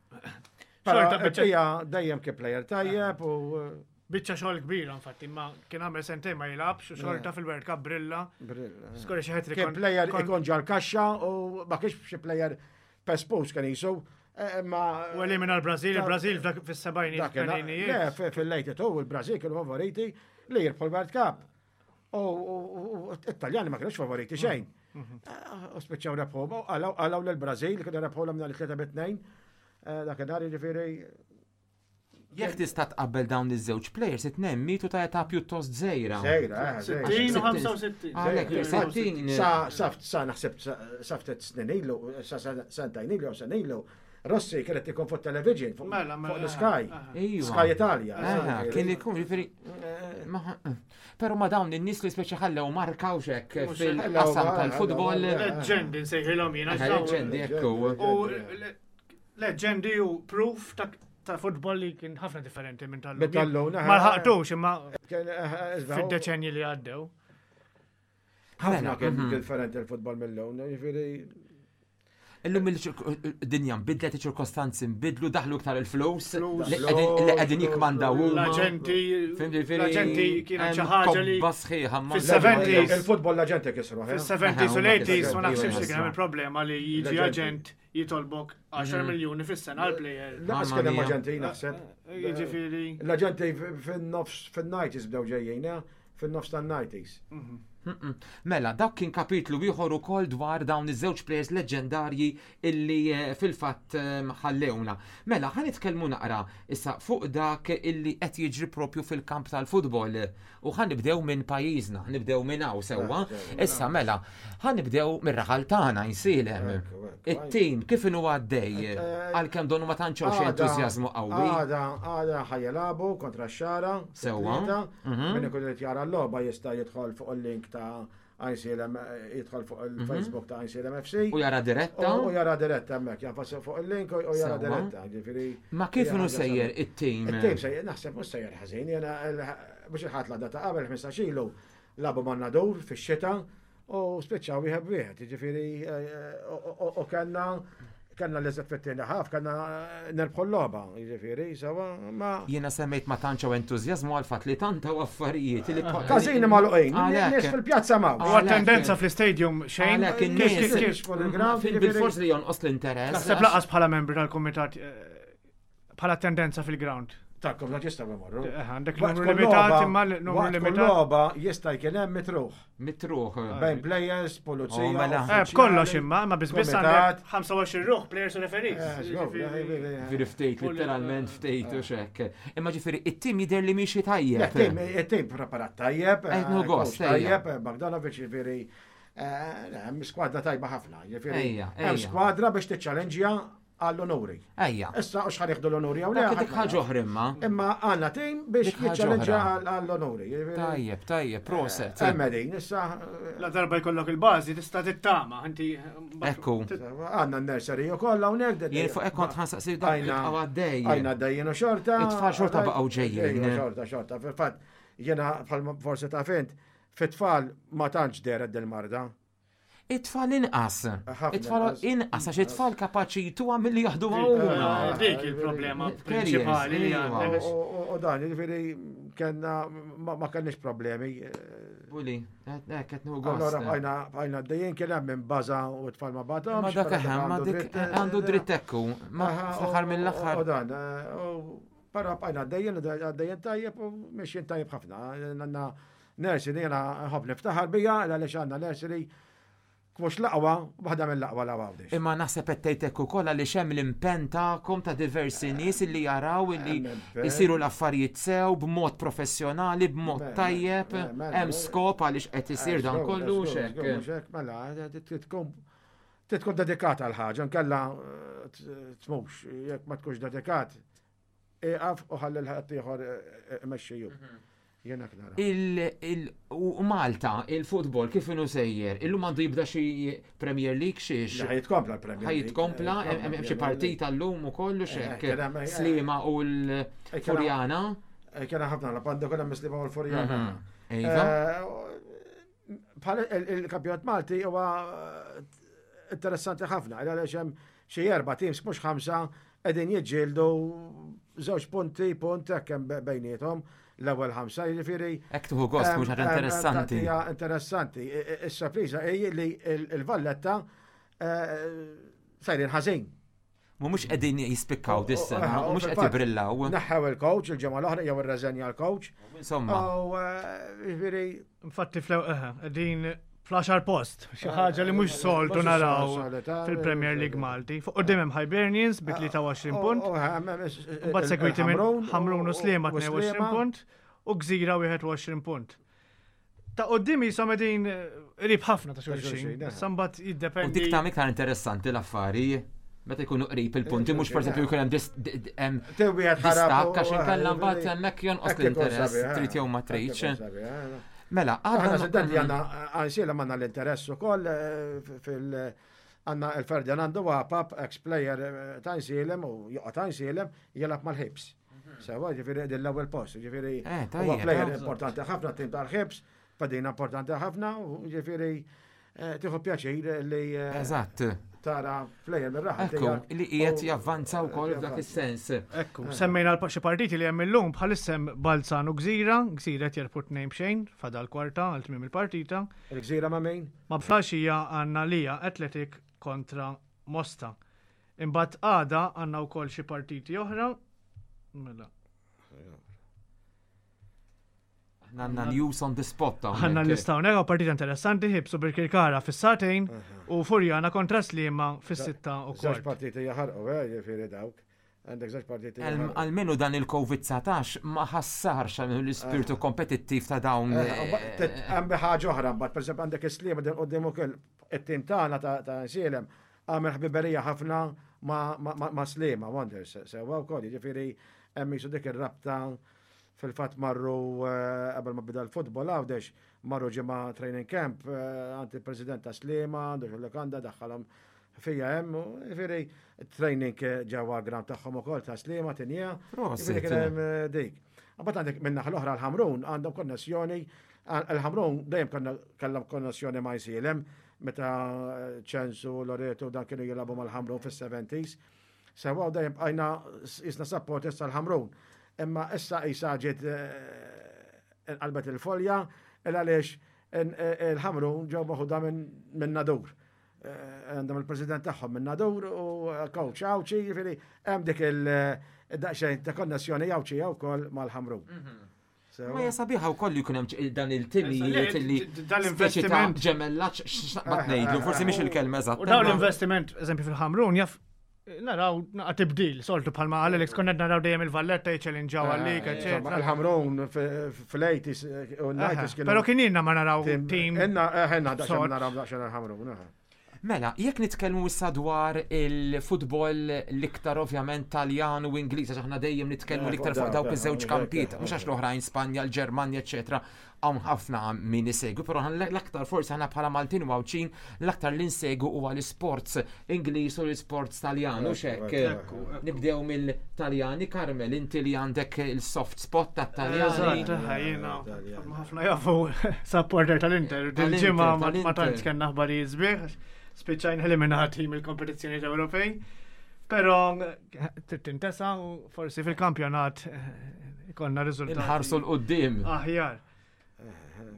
Però Xorta biċċa hija dejjem kien player tajjeb u biċċa xogħol kbira infatti, ma kien għamel sentejn ma jilgħabx u xorta fil-World Cup brilla. Skorja xi hat-trick kien player ikun ġol kaxxa u ma kienx xi player pespus kien jisu, eh, ma U elimina l-Brażil, il-Brażil f'dak fis-sebgħinijiet Dak kien- Le, tmeninijiet. fi- fil-eighty-two il-Brazil kienu favoriti li jirbħu l-World Cup. U u- u it-Taljani ma kienux favoriti xejn. Eh, U spiċċaw rebħu, u għalaw għalaw l-Brazil, kienu rebħu l nhar it-tlieta bit-tnejn. Dakinhar jiġifieri Jekk tista' tqabbel dawn iż-żewġ players, it-tnejn mietu ta' età pjuttost żgħira. Żgħira, eh, żgħira. sittin u ħamsa u sittin. Għalhekk, sittin. Sa, sa, sa naħseb sa- sa ftit snin ilu, sa sa- sentejn ilu, jew sen ilu, Rossi kienet ikun fuq television, fuq Mela, mela, fuq l-Sky, Ejwa. Sky Italia. Eh, kien ikun, ġifieri, ma- Però ma dawn in-nies li speċi ħallew markaw xek fil-qasam Ħallew, tal-futbol. ħallew, Leġendi nsejħilhom jiena. Eh, x'dawn. Leġendi, ekku. U le- leġendi u proof ta' ta' futbol li kien ħafna differenti minn tal-lum. Minn tal-lum, Ma lħaqtux imma Kien, eh, eh, fid-deċenji li għaddew. Ħafna Mela, kien mhm. differenti il-futbol mill-lum, ġifieri Illum il-dinja nbidlet, iċ-ċirkostanzi nbidlu, daħlu iktar il-flus, Flus. li qegħdin- li qegħdin jikmandaw huma. L-aġenti, Fhimt, ġifieri, l-aġenti kienet xi hemm ħaġa li kobba sħiħa ma- Fis-seventies. Il-futbol l-aġenti kisru. eh? fis-seventies u Aha, l-eighties huma ma naħsibx li kisru. kien hemm il-problema li jiġi L-aġenti. aġent jitolbok għaxar miljuni fis-sena għal player. Laqas Mamma kien hemm mia. aġenti naħseb. Jiġifieri. L-aġenti fin-nofs fin-nineties bdew ġejjin, eh? Fin-nofs tan-nineties. Mm-mm. Mela, dak kien kapitlu ieħor ukoll dwar dawn iż-żewġ players leġendarji illi eh, fil-fatt eh, ħallewna. Mela, ħa nitkellmu naqra issa fuq dak illi qed jiġri propju fil-kamp tal-futbol. U ħa nibdew minn pajjiżna, nibdew minn hawn sewwa. Issa mela, ħa nibdew mir-raħal tagħna Għajnsielem. Ekku, ekku. It-tim kif inhu għaddej Eh, għalkemm donu ma tantx hawn xi Għada- entużjażmu qawwi. Għada, għada ħa jilagħbu kontra x-Xagħra. Sewwa. fit-tlieta. Mhm. Min ikun irid jara l-logħba jista' jidħol fuq il-link ta' Għajnsielem, jidħol fuq il-Facebook ta' Għajnsielem F C. U jara diretta. U jara diretta hemmhekk, jagħfas fuq il-link u u jara Sewwa. diretta, ġifieri. Ma kif hija inhu ħaġa sejjer sabiħa. it-tim? Il-tim sejjer, naħseb mhux sejjer ħażin, jiena mhux il-ħadd l ta' qabel ħmistax ilu lagħbu man-Nadur fix-xita u spiċċaw wieħed wieħed, jiġifieri eh, u- u- u kellna kellna li fit-tieni half, kellna nerbħu l-logħba, jiġifieri, sewwa ma Jiena semmejt ma tantx hawn entużjażmu għal fatt li tant hawn affarijiet li Każini magħluqin, Għalhekk. nies fil-pjazza m'hawnx. U Għalhekk. attendenza fl-istadium xejn. Għalhekk Kif- in-nies kif- kif- fuq il-ground, Fil- jiġifieri- Bil-fors li jonqos l-interess. Naħseb lanqas bħala membri tal-kumitat eh, bħala attendenza fil-ground. Tal-kom la jistgħu jmorru. Eh, Għandek Waqt numru kull limitat logħba- imma l- numru waqt kull limitat. logħba jista' jkun hemm mitt ruħ Mitt ruħ. Bejn players, pulizija. Oh, mela. Eh, uffiċjali, b'kollox imma, ma biss biss kumitat. għandek ħamsa u għoxrin ruħ, players u referees. Eh, żgur, Jiġifieri- eh, Ġifieri ftejt, literalment ftejt u xek. Imma ġifieri, it-tim jidher li miexi tajjeb. Il-tim, il-tim preparat tajjeb, Eh, no gost, coach tajjeb, eh, Bogdanovic ġifieri, eh, hemm skwadra tajba ħafna, ġifieri, Ejja, hemm ejja. skwadra biex tiċċallenġja għall-onuri. Ejja. Issa u x'ħa nieħdu l-onuri jew le. Dak dik ħadd ma ħaġa jaf. oħra imma. Imma għandna tim biex Dik ħaġa jiċċallenġja oħra. għall- għall-onuri. ġifieri, Tajjeb, tajjeb, proset. Hemm din, issa eh, La darba jkollok il-bażi tista' tittama, inti Ekku. għandna n-nursery u kollha hawnhekk. Jien fuq hekk kont ħa nsaqsi dak Għajna- għaddej. Għajna dejjin u xorta. It-tfal xorta baqgħu ġejjin. Ejja, xorta, xorta. Fil-fatt, jiena bħal forsi ta' fint, fit-tfal ma tantx dehret dil-marda. It-tfal inqas. Ħafna It-tfal inqas. inqas għax it-tfal kapaċi jtuha milli jaħdu huma. Eh, Dik il-problema Carriers, prinċipali li iva. għandek. U- U u dan, ġifieri, kellna ma ma kellniex problemi. Buli, hekk qed nieħu Allora gost. bqajna bqajna dejjin kien hemm minn baża u t-tfal ma batomx. Ma dak eħem, ma dik għandu dritt ekku. Ma fl-aħħar U mill-aħħar. dan, eh, u però bqajna dejjin, għaddejjin tajjeb u mexjin tajjeb ħafna. Għandna nursery jiena nħobb niftaħar bija, għaliex għandna nursery mhux l-aqwa, waħda mill-aqwa la Għawdex. Imma naħseb qed tgħid hekk ukoll għaliex hemm l-impenn tagħkom ta' diversi nies illi jaraw illi Hemm impenn. isiru l-affarijiet sew b'mod professjonali, b'mod Mela, tajjeb, mela, mela. hemm skop għaliex qed isir dan kollu xek. Xek, mela, tkun tkun dedikata għal ħaġa, nkella eh, tmux, jekk ma tkunx dedikat, iqaf u ħalli l-ħadd ieħor imexxiju. Jiena nara. Il, il, u Malta, il-futbol, kif inhu sejjer? Illum għandu jibda xi Premier League xiex? Ħa jitkompla l-Premier Ħa jitkompla, hemm hemm xi partita llum ukoll u xek. Eh, kien hemm- eh, Sliema u l-Furjana. Kien ħafna la panda kien hemm Sliema u l-Furjana. Mhm. Iva. Eh, Bħal il-kampjonat Malti huwa eh, interessanti ħafna, għaliex hemm xi erba' teams mhux ħamsa qegħdin jiġġieldu żewġ punti, punt hekk hemm bejniethom l-ewwel ħamsa, jiġifieri Hekk tieħu gost mhux ħaġa Em, em, interessanti. Hija interessanti. I- i- Is-sorpriża hi li il-Valletta eh, sejrin ħażin. Mhumiex qegħdin jispikkaw dis-sena, U- u- mhux qed fil-fatt, jibrillaw. Neħħew il-coach il-ġimgħa l-oħra jew irreżenja l-coach. Insomma, U eh, jiġifieri Infatti fl eh, din fl-għaxar post, xi ħaġa li mhux soltu Mhux naraw solita, fil-Premier League Malti. Fuq quddiem hemm Hibernians bi tlieta u għoxrin punt, mbagħad segwiti minn Ħamrun u Sliema tnejn u għoxrin punt u Gżira wieħed u għoxrin punt. Ta' quddiem jisom qegħdin qrib ħafna ta' xulxin. xulxin, eh. Issa mbagħad u jiddependi. dik ta' iktar interessanti l-affari. Meta jkunu qrib il-punti, mhux pereżempju jkun hemm dis- d- d- hemm distakk għax inkella mbagħad hemmhekk jonqos l-interess, trid jew ma tridx. Mela, Aħna għadna sedenti għandna għansiela għandna l-interess ukoll eh, fil- għandna il-Ferdinando Wapap, ex-player eh, ta' Għajnsielem u joqgħod ta' Għajnsielem jilgħab mal-Ħibs. Sewwa, ġifieri din l-ewwel post, ġifieri Eh, huwa tajjeb, player eh. importanti ħafna tim tal-Ħibs, Fadina importanti ħafna, u ġifieri eh, tieħu pjaċir li eh, Eżatt. tara plejer mir-raħal. Ekku, li qiegħed javvanza wkoll f'dak is-sens. Ekku, semmejna l xi partiti li hemm illum bħalissa hemm Balzan u Gżira, Gżira qed jerbħu tnejn b'xejn, fadal kwarta għal tmiem il-partita. Il-Gżira ma' min? Ma b'flaxija għandna Lija Athletic kontra Mosta. Imbagħad għada għandna wkoll xi partiti oħra. Mela. Għandna news on the spot. Għanna hawnhekk. l-lista hawnhekk hawn partita interessanti Ħibs u Birkirkara fis-sagħtejn u Furjana kontra Sliema fis-sitta u Żewġ kwart. partiti jaħarqu, eh, ġifieri dawk. Għandek żewġ partiti Al- jaħarqu. Almenu dan il-Covid dsatax ma ħassarx għal l-ispirtu kompetittiv ta' dawn. Eh, Hemm ħaġa oħra, mbagħad pereżempju għandek is-Sliema din quddiem ukoll it-tim tagħna ta' ta' Nsielem għamel ħbiberija ħafna ma' ma' ma' Sliema Wonders, sewwa wkoll, jiġifieri hemm jisu dik ir-rabta fil-fatt marru eh, qabel ma bida l-futbol Għawdex, marru ġimgħa training camp eh, għand il-president ta' Sliema, għandu xil-lokanda daħħalhom fija hemm, u jiġifieri training ġewwa ground tagħhom ukoll ta' Sliema tinja. Prosit. Jiġifieri kien hemm eh, dik. Mbagħad għandek minn naħa l-oħra l-Ħamrun għandhom konnessjoni, il-Ħamrun dejjem konna kellhom konnessjoni ma' Għajnsielem meta Ċensu, Loreto dan kienu jilagħbu mal-Ħamrun fis-seventies. Sewa u dejjem bqajna jisna supporters tal-Ħamrun. Imma issa isa ġiet eh, inqalbet il-folja il għaliex il-Ħamrun ġew maħuda minn Nadur. Eh, Għandhom il-president tagħhom minn Nadur u coach Għawdxi, jiġifieri hemm dik il-daqsxejn ta' konnessjoni Għawdxi wkoll mal-Ħamrun. Sewa. Ma hija sabiħa wkoll li jkun hemm ċ- dan il-timijiet Le, li dan speċi ta' l-investiment. ġemellaġġ x'naqbad ngħidlu, forsi mhix il-kelma eżatt. U dawn imma- l-investiment, eżempju fil-Ħamrun, jaf naraw naqa tibdil, soltu bħalma għal Alex konna naraw dejjem il-Valletta jiċċellinġaw għalik, Insomma, eccetera. Il-Ħamrun fil-eighties u nineties kienu. Però kien ilna ma naraw tim. Inna, ħenna daqsxejn sod. naraw daqsxejn il-Ħamrun. eh. Mela, jekk nitkellmu issa dwar il-futbol l-iktar ovvjament Taljan u Ingliż, għax aħna dejjem nitkellmu Eh, l-iktar fuq fuq dawk dawk, iż-żewġ eh, kampijiet, eh, mhux għax l-oħrajn Spanja, l-Ġermanja, eċetera, hawn ħafna min isegwi, però aħna l-aktar forsi aħna bħala Maltin u Għawdxin l-aktar li nsegwu huwa l-isports Ingliż u l-isports Taljan, u xek. Ekku, Nibdew mill-Taljani, Carmel, inti li għandek il-soft spot tat-Taljani. Eżatt, jiena Taljan. ħafna jafu supporter tal-Inter. Tal-Inter, Dil-ġimgħa ma ma tal-Inter. tantx kellna aħbarijiet sbieħ, spiċċajna eliminati mill-kompetizzjoni Ewropej. Però eh, trid tintesa u forsi fil-kampjonat eh, ikollna riżultat. Inħarsu l-qoddim. Aħjar.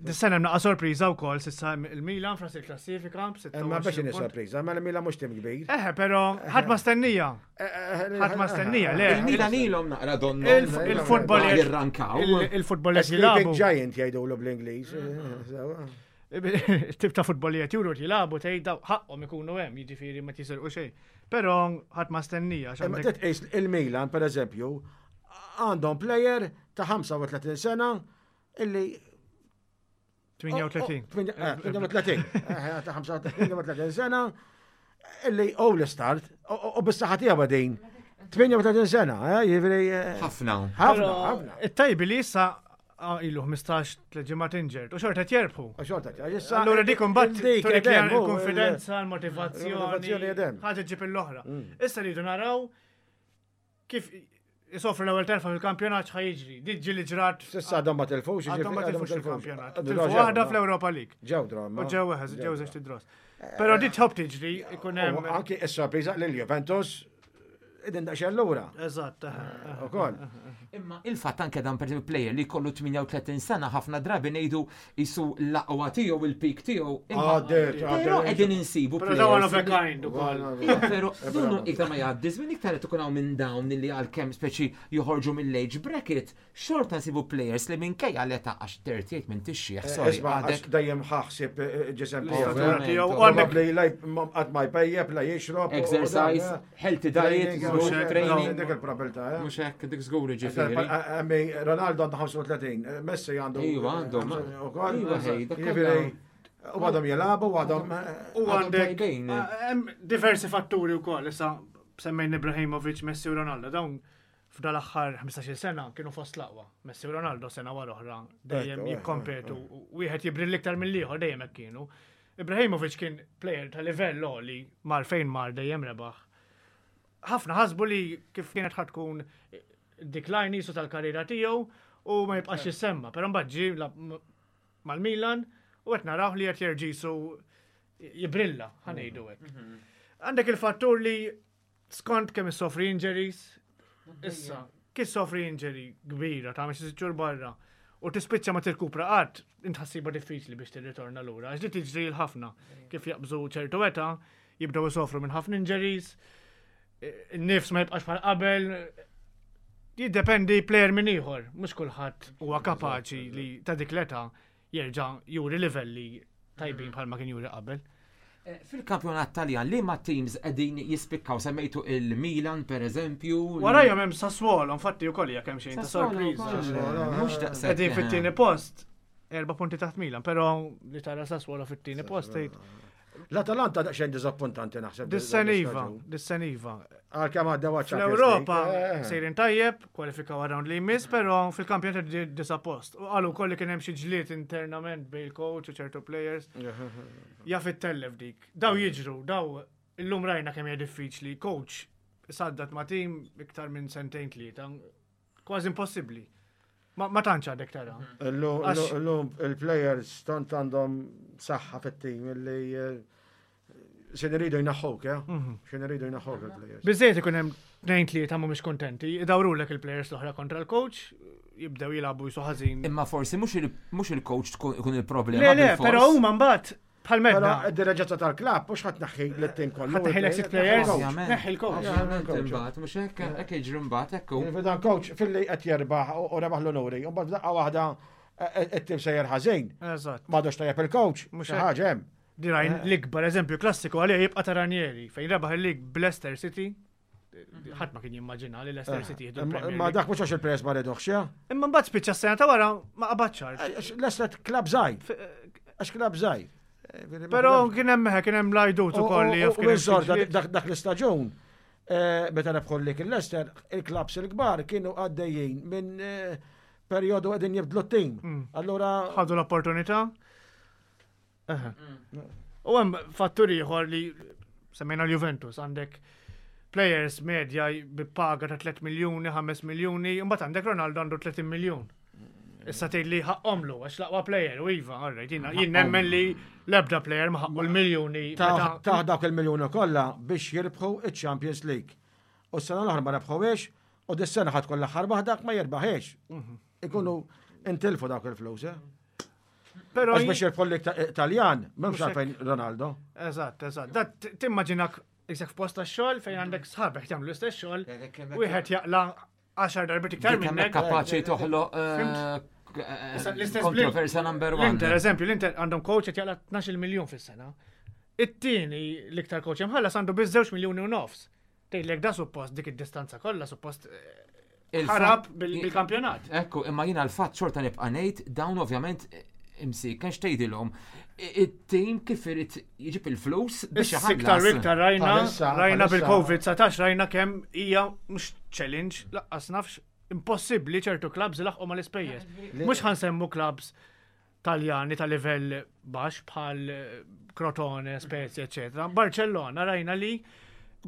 Dis-sena hemm naqa' sorpriża wkoll s'issa il-Milan fras il-klassifika Imma biex b' inhi sorpriża, ma l-Milan mhux tim kbir. Eħe, però ħadd ma stennija. Ħadd ma stennija, le. Il-Milan ilhom naqra donnu. Il- Il-futbol Ma jirrankaw. Il-futbol qed Sleeping jilagħbu. Giant jgħidulu bl-Ingliż. Sewa. Tip ta' futbol li qed juru jilagħbu tgħid daw ħaqhom ikunu hemm, jiġifieri ma tisirqu xejn. Però ħadd ma stennija għax Imma għandek titqis il-Milan, per eżempju, għandhom player ta' ħamsa u tletin sena illi tmienja u tletin. tmienja u tletin. Eh, ta' tmienja u tletin sena illi all start u bis-saħħa tiegħu din. tmienja u tletin sena, eh, jiġifieri eh, Ħafna. ħafna, Però ħafna. It-tajbi li issa ah, ilu ħmistax tliet ġimgħat injured u xorta qed jerbħu. U xorta, issa Allura dik imbagħad dik turik li edem, u, il-konfidenza, il-motivazzjoni l-motivazzjoni, edem. ħaġa ġib l-oħra. Issa rridu naraw kif isofru l-ewwel telfa fil-kampjonat x'ħa jiġri. Diġi li ġrat S'issa għadhom ma tilfux, għadhom ma jiġifieri tilfux il-kampjonat. Għadhom Tilfu ġew, waħda no. fl-Europa League. Ġew draw. U ġew weħed, ġew żewġ draws. Però di tħobb tiġri ikun hemm. Anki is-sorpriża lil Juventus idin daqsxejn lura. Eżatt. Ukoll. Imma il-fatt anke dan per esempio player li kollu tmienja u tletin sena ħafna drabi ngħidu jisu l-aqwa tiegħu il-peak tiegħu. imma- Għaddiet, Però għaddiet. qegħdin insibu Però dawn one of a players kind ukoll. Ija, Pero donnu iktar ma jgħaddi żmien iktar qed ikun hawn minn dawn li għalkemm speċi joħorġu mill-age bracket, xorta nsibu players li minkejja l-età għax tlieta u tletin minn tixjieħ, sorry, Isma' għax għadek. dejjem ħaħsib eh, ġisem L-istatura tiegħu. tiegħu. U għandek Probabbli la qatt ma jpejjeb, la jixrob. u- u Exercise, dan, eh, healthy diet, training, żgur, mhux hekk, training. Dik il-probabilità, eh. Mhux hekk dik żgur ġifieri. Għammi, Ronaldo għandu ħamsa u tletin, Messi għandu. Iva, għandhom. Ukoll. Iva, ħej, dak Jiġifieri, u għadhom jilagħbu, u għadhom. U Għadhom għandek tajbin. ah, hemm diversi fatturi wkoll issa semmejn Ibrahimovic, Messi u Ronaldo dawn f'dal aħħar ħmistax-il sena kienu fost l-aqwa. Messi u Ronaldo sena wara oħra dejjem Ekku, ekku, jikkompetu u wieħed jibril iktar mill-ieħor dejjem hekk kienu. Ibrahimovic kien player ta' livell għoli mar fejn mar dejjem rebaħ. Ħafna ħasbu li kif kienet ħa tkun decline jisu tal-karriera tiegħu u ma jibqax jissemma, però mbagħad ġie la- mal-Milan u qed naraw li qed jerġa' jisu jibrilla, ħa ngħidu hekk. Mhm. Għandek il-fattur li skont kemm issofri injuries, issa, kif sofri injury kbira ta' xi sitt barra u tispiċċa ma tirkupra qatt, int ħa ssibha diffiċli biex tirritorna lura. Għax li tiġri l-ħafna kif jaqbżu ċertu età, jibdew isofru minn ħafna injuries, in-nifs ma jibqax bħal qabel, jiddependi player minn ieħor, mhux kulħadd huwa kapaċi li ta' dik l-età jerġa' juri livelli tajbin bħalma kien juri qabel. Eh, fil-kampjonat Taljan, li ma teams qegħdin jispikkaw semmejtu il-Milan per eżempju. Warajhom hemm Sassuolo, infatti ukoll hija kemm xejn ta' sorpriża. Mhux daqshekk. Qegħdin fit-tieni post, erba' punti taħt Milan, però li tara Sassuolo fit-tieni post tgħid. L-Atalanta daqsxejn diżappuntanti naħseb. Dis-sena iva, dis-sena iva. Għalkemm għaddew Fl-Ewropa eh. sejrin tajjeb, kwalifikaw round li jmiss, però fil-kampjonat disa' post. U qalu wkoll li kien hemm xi ġlied internament bejn il-coach u ċertu players. Jaf ittellef dik. Daw jiġru, daw illum rajna kemm hija diffiċli. Coach saddat ma' tim iktar minn sentejn tlieta. Kważi impossibbli. Ma, ma tantx għadek tara. Illum il-players tant għandhom saħħa fit-tim illi eh, x'ħin iridu jneħħuk, eh? Mhm. X'ħin iridu jneħħuk il-players. Biżejjed ikun hemm tnejn tlieta mhumiex kontenti, idawrulek il-players l-oħra kontra l-coach, jibdew jilagħbu jisu ħażin. Imma forsi mhux il-coach tkun il-problema. Le, le, però huma mbagħad bħal medda. Però id-diriġenza tal-klabb mhux ħadd neħħi lit-tim kollu. Ħadd neħħi l players, neħħi l-coach. Imbagħad mhux hekk hekk jiġri mbagħad hekk hu. Dan coach filli qed jerbaħ u rebaħ l-onuri, u mbagħad daqqa waħda it-tim sejjer ħażin. Eżatt. M'għadux tajjeb il-coach, mhux ħaġa hemm. Dirajn l-ikbar eżempju klassiku għalija jibqa' ta' Ranieri fejn rebaħ il-lig b'Leicester City. Ħadd ma kien jimmaġina li Leicester City jieħdu l-Premier Ma dak mhux għax il-players ma riduhx, ja? Imma mbagħad spiċċa s-sena ta' wara ma qabadx art. Leicester klabb żgħir. Għax klabb żgħir. Però kien hemm kien hemm l-għajdut ukoll li jaf kien hemm. Dak l-istaġun, meta rebħu l-lig il-Leicester, il-klabbs il-kbar kienu għaddejjin minn perjodu qegħdin jibdlu t-tim. Allura ħadu l-opportunità. U hemm fattur ieħor li semmejna l-Juventus għandek players medja bi paga ta' tliet miljuni, ħames miljuni, imbagħad għandek Ronaldo għandu tletin miljun. Issa tgħid li ħaqqhomlu għax l-aqwa player u iva, all right, jiena jien nemmen li l-ebda player ma ħaqqu l-miljuni. Ta' dawk il-miljuni kollha biex jirbħu iċ-Champions League. U s-sena l-oħra ma rebħuhiex u dis-sena ħadd kollha aħħar waħda ma jirbaħiex. Ikunu intilfu dawk il-flus, eh? Però Għax biex jirbħu l-lig Taljan, m'hemmx għalfejn Ronaldo. Eżatt, eżatt. Dat timmaġinak isek f'post tax-xogħol fejn għandek sħabek jagħmlu l-istess xogħol, wieħed jaqla għaxar darbiet iktar minnek. Kapaċi toħloq kontroversja number one. L-Inter, eżempju, l-Inter għandhom coach qed jaqla tnax-il miljun fis-sena. It-tieni l-iktar coach imħallas għandu biss żewġ miljuni u nofs. Tgħidlek da suppost dik id-distanza kollha suppost ħarab bil-kampjonat. Ekku, imma jiena l-fatt xorta nibqa' ngħid dawn ovvjament imsi, kienx tgħidilhom it-tim kif irid jiġib il-flus biex iħallas. Iktar iktar rajna, rajna bil-Covid satax rajna kemm hija mhux challenge, laqqas nafx impossibbli ċertu clubs ilaħqu mal-ispejjeż. Mhux ħansemmu clubs Taljani ta' livell baxx bħal Crotone, Spezia, eċetera. Barcellona rajna li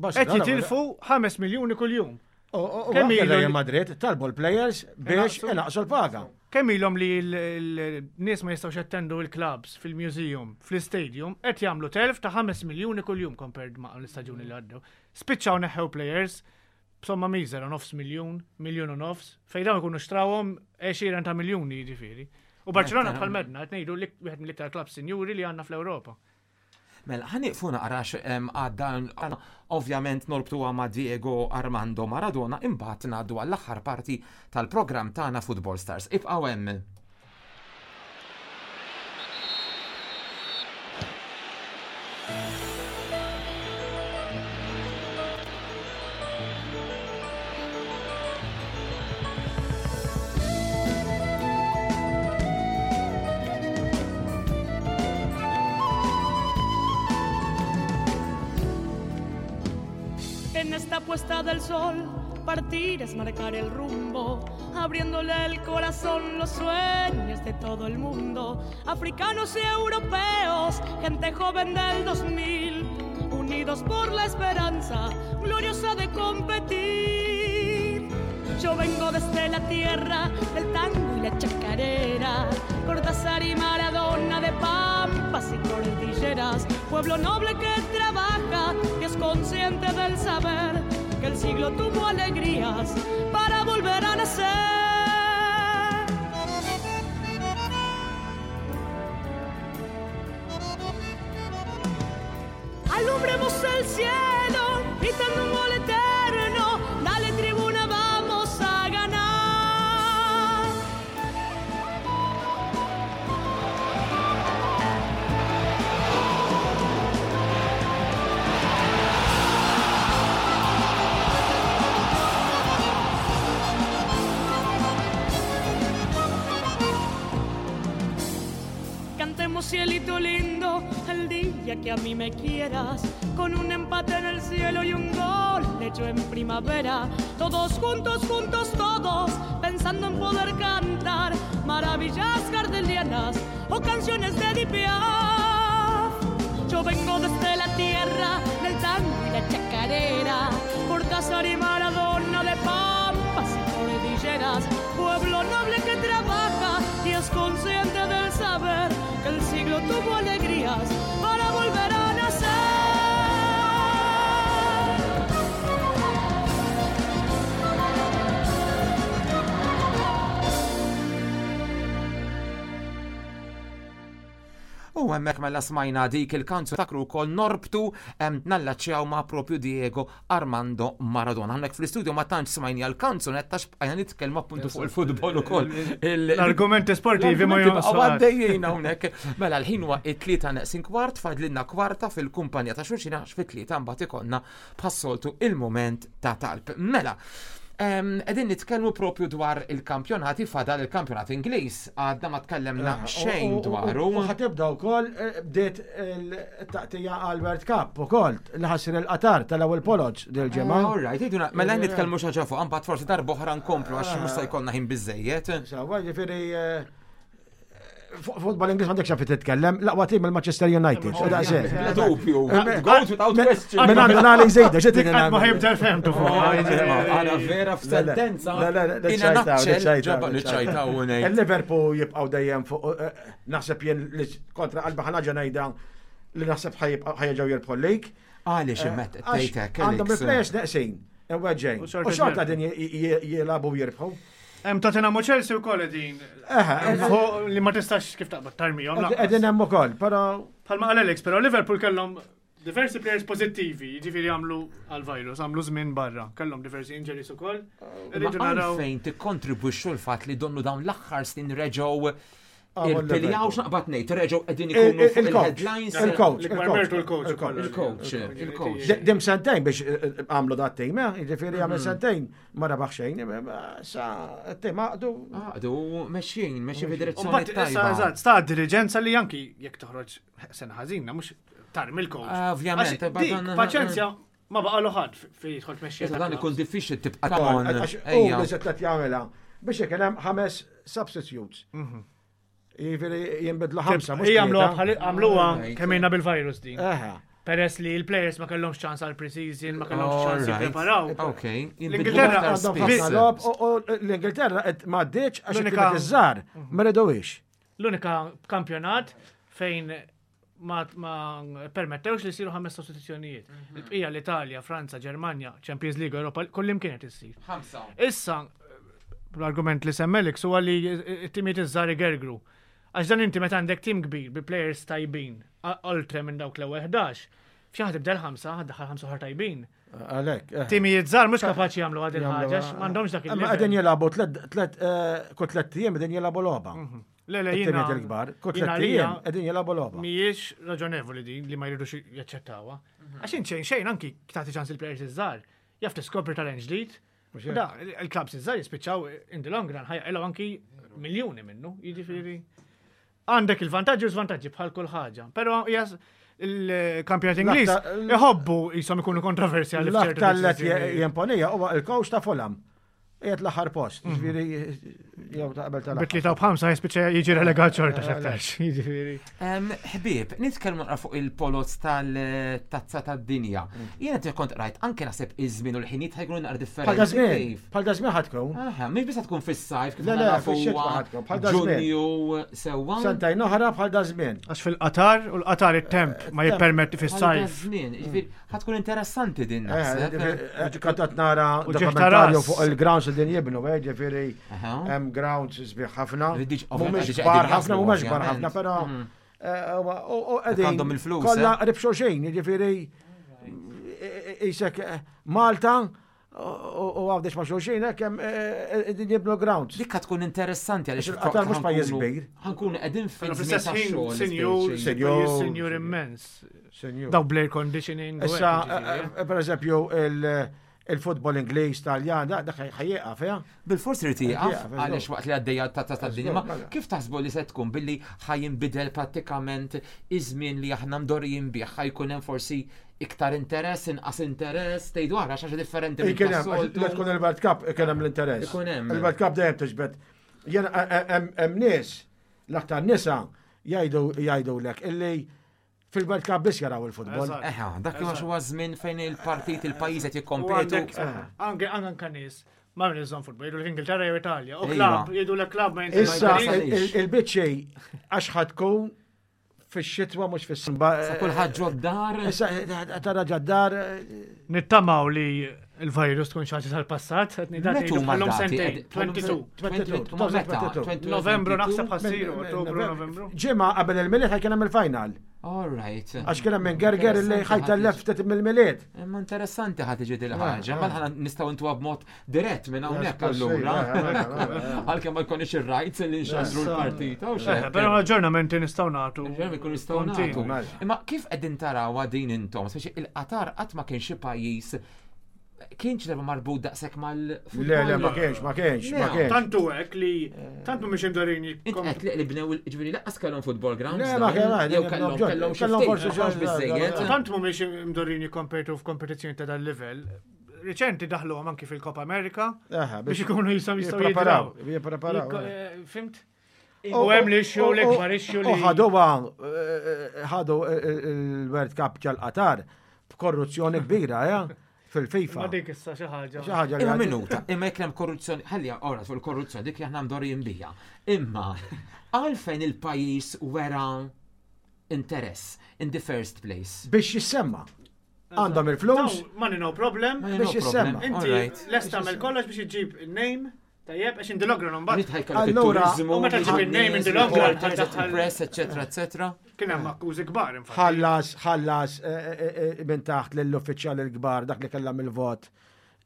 qed jitilfu ħames miljuni kuljum. Kemm ilu Madrid talbu l-players biex inaqsu l-paga. Kemm ilhom li l-nies ma jistgħux jattendu l-clubs fil-museum, fl-istadium, qed jagħmlu telf ta' ħames miljuni kuljum compared ma' l-istaġuni li għaddew. Spiċċaw neħħew players b'somma miżera nofs miljun, miljun u nofs, fejn dawn ikunu xtrawhom għexieren ta' miljuni jiġifieri. U Barcelona bħal medna qed ngħidu wieħed mill-iktar clubs sinjuri li għandna fl-Ewropa. Mela, ħa nieqfu naqra għadda ovvjament norbtuha ma' Diego Armando Maradona, imbagħad ngħaddu għall-aħħar parti tal-programm tagħna Football Stars. Ibqgħu hemm. En esta puesta del sol, partir es marcar el rumbo, abriéndole el corazón los sueños de todo el mundo. Africanos y europeos, gente joven del dos mil, unidos por la esperanza gloriosa de competir. Yo vengo vengo desde la tierra del tango y la chacarera, Cortázar y Maradona de pampas y cordilleras, pueblo noble que trabaja y es consciente del saber que el siglo tuvo alegrías para volver a nacer. Alumbremos el cielo, gritando un gol eterno, dale tribuna, vamos a ganar. Cantemos cielito lindo el día que a mí me quieras, con un empate en el cielo y un gol hecho en primavera, todos juntos, juntos todos, pensando en poder cantar maravillas gardelianas o canciones de Edith Piaf. Yo vengo desde la tierra del tango y la chacarera, Cortázar y Maradona de pampas y cordilleras, pueblo noble que trabaja y es consciente del saber que el siglo tuvo alegrías para volver a nacer. U hemmhekk mela smajna dik il-kanzu takru wkoll norbtu nallaċċjaw ma' propju Diego Armando Maradona. Hawnhekk fl-istudio ma tantx smajni għall-kanzunetta x'bqajna nitkellmu appuntu fuq il-futbol ukoll. L-argumenti sportivi ma jonqsu. Għaddejjin hawnhekk. Mela l-ħin huwa it-tlieta neqsin kwart, fadlilna kwarta fil-kumpanija ta' xulxin għax fit-tlieta mbagħad ikollna bħas-soltu il-mument ta' talb. Mela, Qegħdin nitkellmu propju dwar il-kampjonati, fadal il-kampjonat Ingliż, għadna ma tkellemna xejn dwaru. U ħatibda wkoll bdiet il-taqtija għal World Cup ukoll li ħassir il-Qatar tal-ewwel poloġ dil-ġimgħa. All right, iduna, mela nitkellmu xi ħaġa fuq, mbagħad forsi darb'oħra nkomplu għax mhux se jkollna ħin biżejjed. Sawa, ġifieri futbol Ingliż m'għandekx x'għalfejn titkellem, l-aqwa tim il-Manchester United. Bla dubju, goes without question. Minn għandu nagħli żejda, xi Qatt ma ħibda fehmtu fuq. Għara vera f'sentenza. Niċċajtaw ngħid. Il-Liverpool jibqgħu dejjem fuq, naħseb jien li kontra qalbi ħanaġa ngħidha li naħseb ħajġew jirbħu l-league. Għaliex immet tgħidek. Għandhom il-players neqsin, weġġejn. U xorta din jilagħbu jirbħu. Hemm Tottenham u Chelsea wkoll qegħdin. Li ma tistax kif taqbad tarmihom. Qegħdin hemm ukoll, però bħalma qal Alex, però Liverpool kellhom diversi players pożittivi, jiġifieri għamlu għall-virus, għamlu żmien barra, kellhom diversi injuries ukoll. Irridu naraw fejn tikkontribwixxu l-fatt li donnu dawn l-aħħar snin reġgħu il-piljaw x'naqbad ngħid, reġgħu qegħdin ikunu fuq il-headlines. Il-coach, il-coach, il-coach, il-coach. Dim sentejn biex għamlu dat tim, jiġifieri għamel sentejn ma rebaħ xejn, sa t-tim għaqdu. Għaqdu mexjin, mexjin fid-direzzjoni tajba. Eżatt, sta diriġenza li anki jekk toħroġ sena ħażina mhux tarmi l-coach. Ovvjament, paċenzja ma baqalu ħadd fejn jidħol tmexxija. Dan ikun diffiċli tibqa' U li se qed jagħmilha biex ikun hemm ħames substitutes. Jiġifieri jinbidlu ħamsa. Għamluha kemm ilna bil-virus din. Peress li l-players ma kellhomx ċans għal pre-season, ma kellhomx ċans jippreparaw. Ok. L-Ingilterra għandhom ħafna logħob u l-Ingilterra qed m'għaddietx għax it-timiet iż-żgħar ma ridewhiex. L-unika kampjonat fejn ma permettewx li jsiru ħames sostituzzjonijiet. Il-bqija l-Italja, Franza, Ġermanja, Champions League, Europa, kullimkien qed issir. Ħamsa. Issa l-argument li semmelek huwa li t-timiet iż-żgħar igergru. Għax dan inti meta għandek tim kbir bi players tajbin, oltre minn dawk l-ewwel ħdax, f'xi ħadd ibdel ħamsa, ħaddaħħal ħamsa oħra tajbin. Għalhekk. Timijiet żgħar mhux kapaċi jagħmlu għad il-ħaġa, m'għandhomx dak il-livell. Qegħdin jilagħbu tliet kull tliet ijiem qegħdin jilagħbu logħba. Le le jiena. Timijiet il-kbar, kull tliet ijiem qegħdin jilagħbu logħba. Mhijiex raġonevoli din li ma jridux jaċċettawha. Għax int xejn xejn anki tagħti ċans il-players iż-żgħar, jaf tiskopri talent ġdid. Da, il-klabs iż-żgħar jispiċċaw in the long run ħajqilgħu anki miljuni minnu, jiġifieri. Għandek il-vantaġġi u żvantaġġi bħal kull ħaġa, però il-kampjonat Ingliż iħobbu jisom ikunu kontroversjali f'ċertu. L-aktar li jimponija huwa il-coach ta' Fulham. Qiegħed l-aħħar post, ġifieri Jew ta' qabel tal-aħħar. Bi tlieta u b'ħamsa jispiċċa jiġi relegat xorta x'aktarx. Jiġifieri. Em, Ħbieb, nitkellmu naqra fuq il-poloz tal-tazza tad-dinja. Jiena ti kont rajt anke naħseb iż-żmien u l-ħinijiet ħa jkunu naqra Bħal differenti. da żmien, Kif? bħal da żmien ħa tkun. Aha, mhix biss tkun fis-sajf kif Le, le, nafu fix-xitwa huwa ħa tkun, bħal da żmien. Ġunju sewwa. Sentejn oħra bħal da żmien. Għax fil-Qatar u l-Qatar it-temp ma jippermetti Bħal da fis-sajf. żmien, jiġifieri ħa tkun interessanti din Eh, naħseb. Kont qed nara U ġieħ ta' dokumentarju ras. fuq il-grounds li din jibnu, eh, ġifieri Aha. hemm grounds sbieħ ħafna. Diġ- Mhumiex diġ kbar qegħdin ħafna, jaħsbu, mhumiex kbar ovvjament. ħafna, però Mhm. eh, u u qegħdin għandhom il-flus, Kollha eh? qrib xulxin, jiġifieri isek eh, Malta u u Għawdex ma' xulxin, hekk hemm eh, din jibnu grounds. Dik tkun interessanti għaliex Għax il-Qatar mhux pajjiż kbir. Ħa nkunu qegħdin Però fil-żmien fl-istess ħin, tax-xogħol. sinjur, speċi. Sinjur. sinjur immens. Senjur. Daw bl-air conditioning. u Issa, hekk, jiġifieri. eh, per eżempju, il- il-futbol Ingliż, Taljan, dak dak ħa jieqaf, ja? Bil-fors irid jieqaf Jieqaf, għaliex waqt li għaddejja ta' ta' dinja. Ma Mela. kif taħsbu li se tkun billi ħa jinbidel prattikament iż-żmien li aħna mdorrijin bih, ħa jkun hemm forsi iktar interess, inqas interess, tgħidu ara xi ħaġa differenti minn Kien hemm, tas-soltu. li tkun il-World Cup, kien hemm l-interess. Ikun hemm. Il-World Cup dejjem tiġbed. Jena hemm hemm nies, l-aktar nisa jgħidu jgħidulek illi fil-World Cup biss jaraw il-futbol. Eżatt. Eħa, dak huwa huwa żmien fejn il-partit il-pajjiż qed U jikkompetu. għandek, anke anke nies, ma minn iżżomm futbol, jgħidu l-Ingilterra jew Italja. U Iva. klab, jgħidu l-klab ma Issa Ma il- il- il-biċċi għax ħa tkun fix-xitwa mhux fis-sba. Sa kulħadd ġod-dar. Issa tara ġad-dar Nittamaw li il-virus tkun xi ħaġa tal-passat, qed ngħidu Meta huma bħalhom dati? sentejn, Ed- bħalhom tnejn u se- ma meta? tnejn u tnejn. Novembru naħseb ħa ssir, Ottubru, Novembru. Ġimgħa qabel il-Milied ħa kien hemm il-final. All right. Għax kien hemm minn gerger illi ħa jtellef ftit mill-Milied. Imma interessanti ħa tiġi dil ħaġa, ma ħana nistgħu intuha b'mod dirett minn hawnhekk allura. Għalkemm ma jkunx ir-rights li nxandru l-partita u Eh, xejn. Però l-aġġornamenti nistgħu nagħtu. Ġermi kun nistgħu Continu. nagħtu. Imma kif qegħdin tarawha din intom, speċi il-Qatar qatt ma kien xi pajjiż kienx darba marbut daqshekk mal-futbol. Le, le, ma kienx, ma kienx, ma Le, kienx. Tantu hekk li tantu mhux imdorin Int qed li li bnew ġifieri lanqas kellhom football grounds. Le, ma dawn, kellhom, jew le, kellhom kellhom kellhom xi kellhom ftit, forsi ma kienx xi- biżejjed. Tant mhumiex imdorin jikkompetu f'kompetizzjoni ta' dal-livell. Riċenti daħluhom anki fil-Copa America Aha, biex ikunu jisom jistgħu jippreparaw, jidraw. jippreparaw. Jikko- eh, Fimt? U hemm li issue l-ikbar issue li. U ħaduha, eh, ħadu il-World Cup ġal-Qatar b'korruzzjoni kbira, ja, fil-FIFA. Ma dik issa xi ħaġa. Xi ħaġa li Imma għad- minuta, imma jekk hemm korruzzjoni, ħalli ora fuq il-korruzzjoni dik li aħna mdorrijin bija. Imma għalfejn il-pajjiż wera interess in the first place. Biex jissemma. Għandhom il-flus, Dawn, Money no problem. Ma Biex no problem. jissemma. Inti Alright. lest tagħmel kollox biex iġġib il-name, tajjeb, għax in the long run mbagħad Rrid ħajkollok Allura- il-turizmu, U meta ġib il-name in the long run, il-reporters, press, eccetera, eccetera. kien hemm akkużi kbar infatti. ħallas, ħallas eh, eh, eh, minn taħt lill-uffiċjali l-kbar dak li kellhom il-vot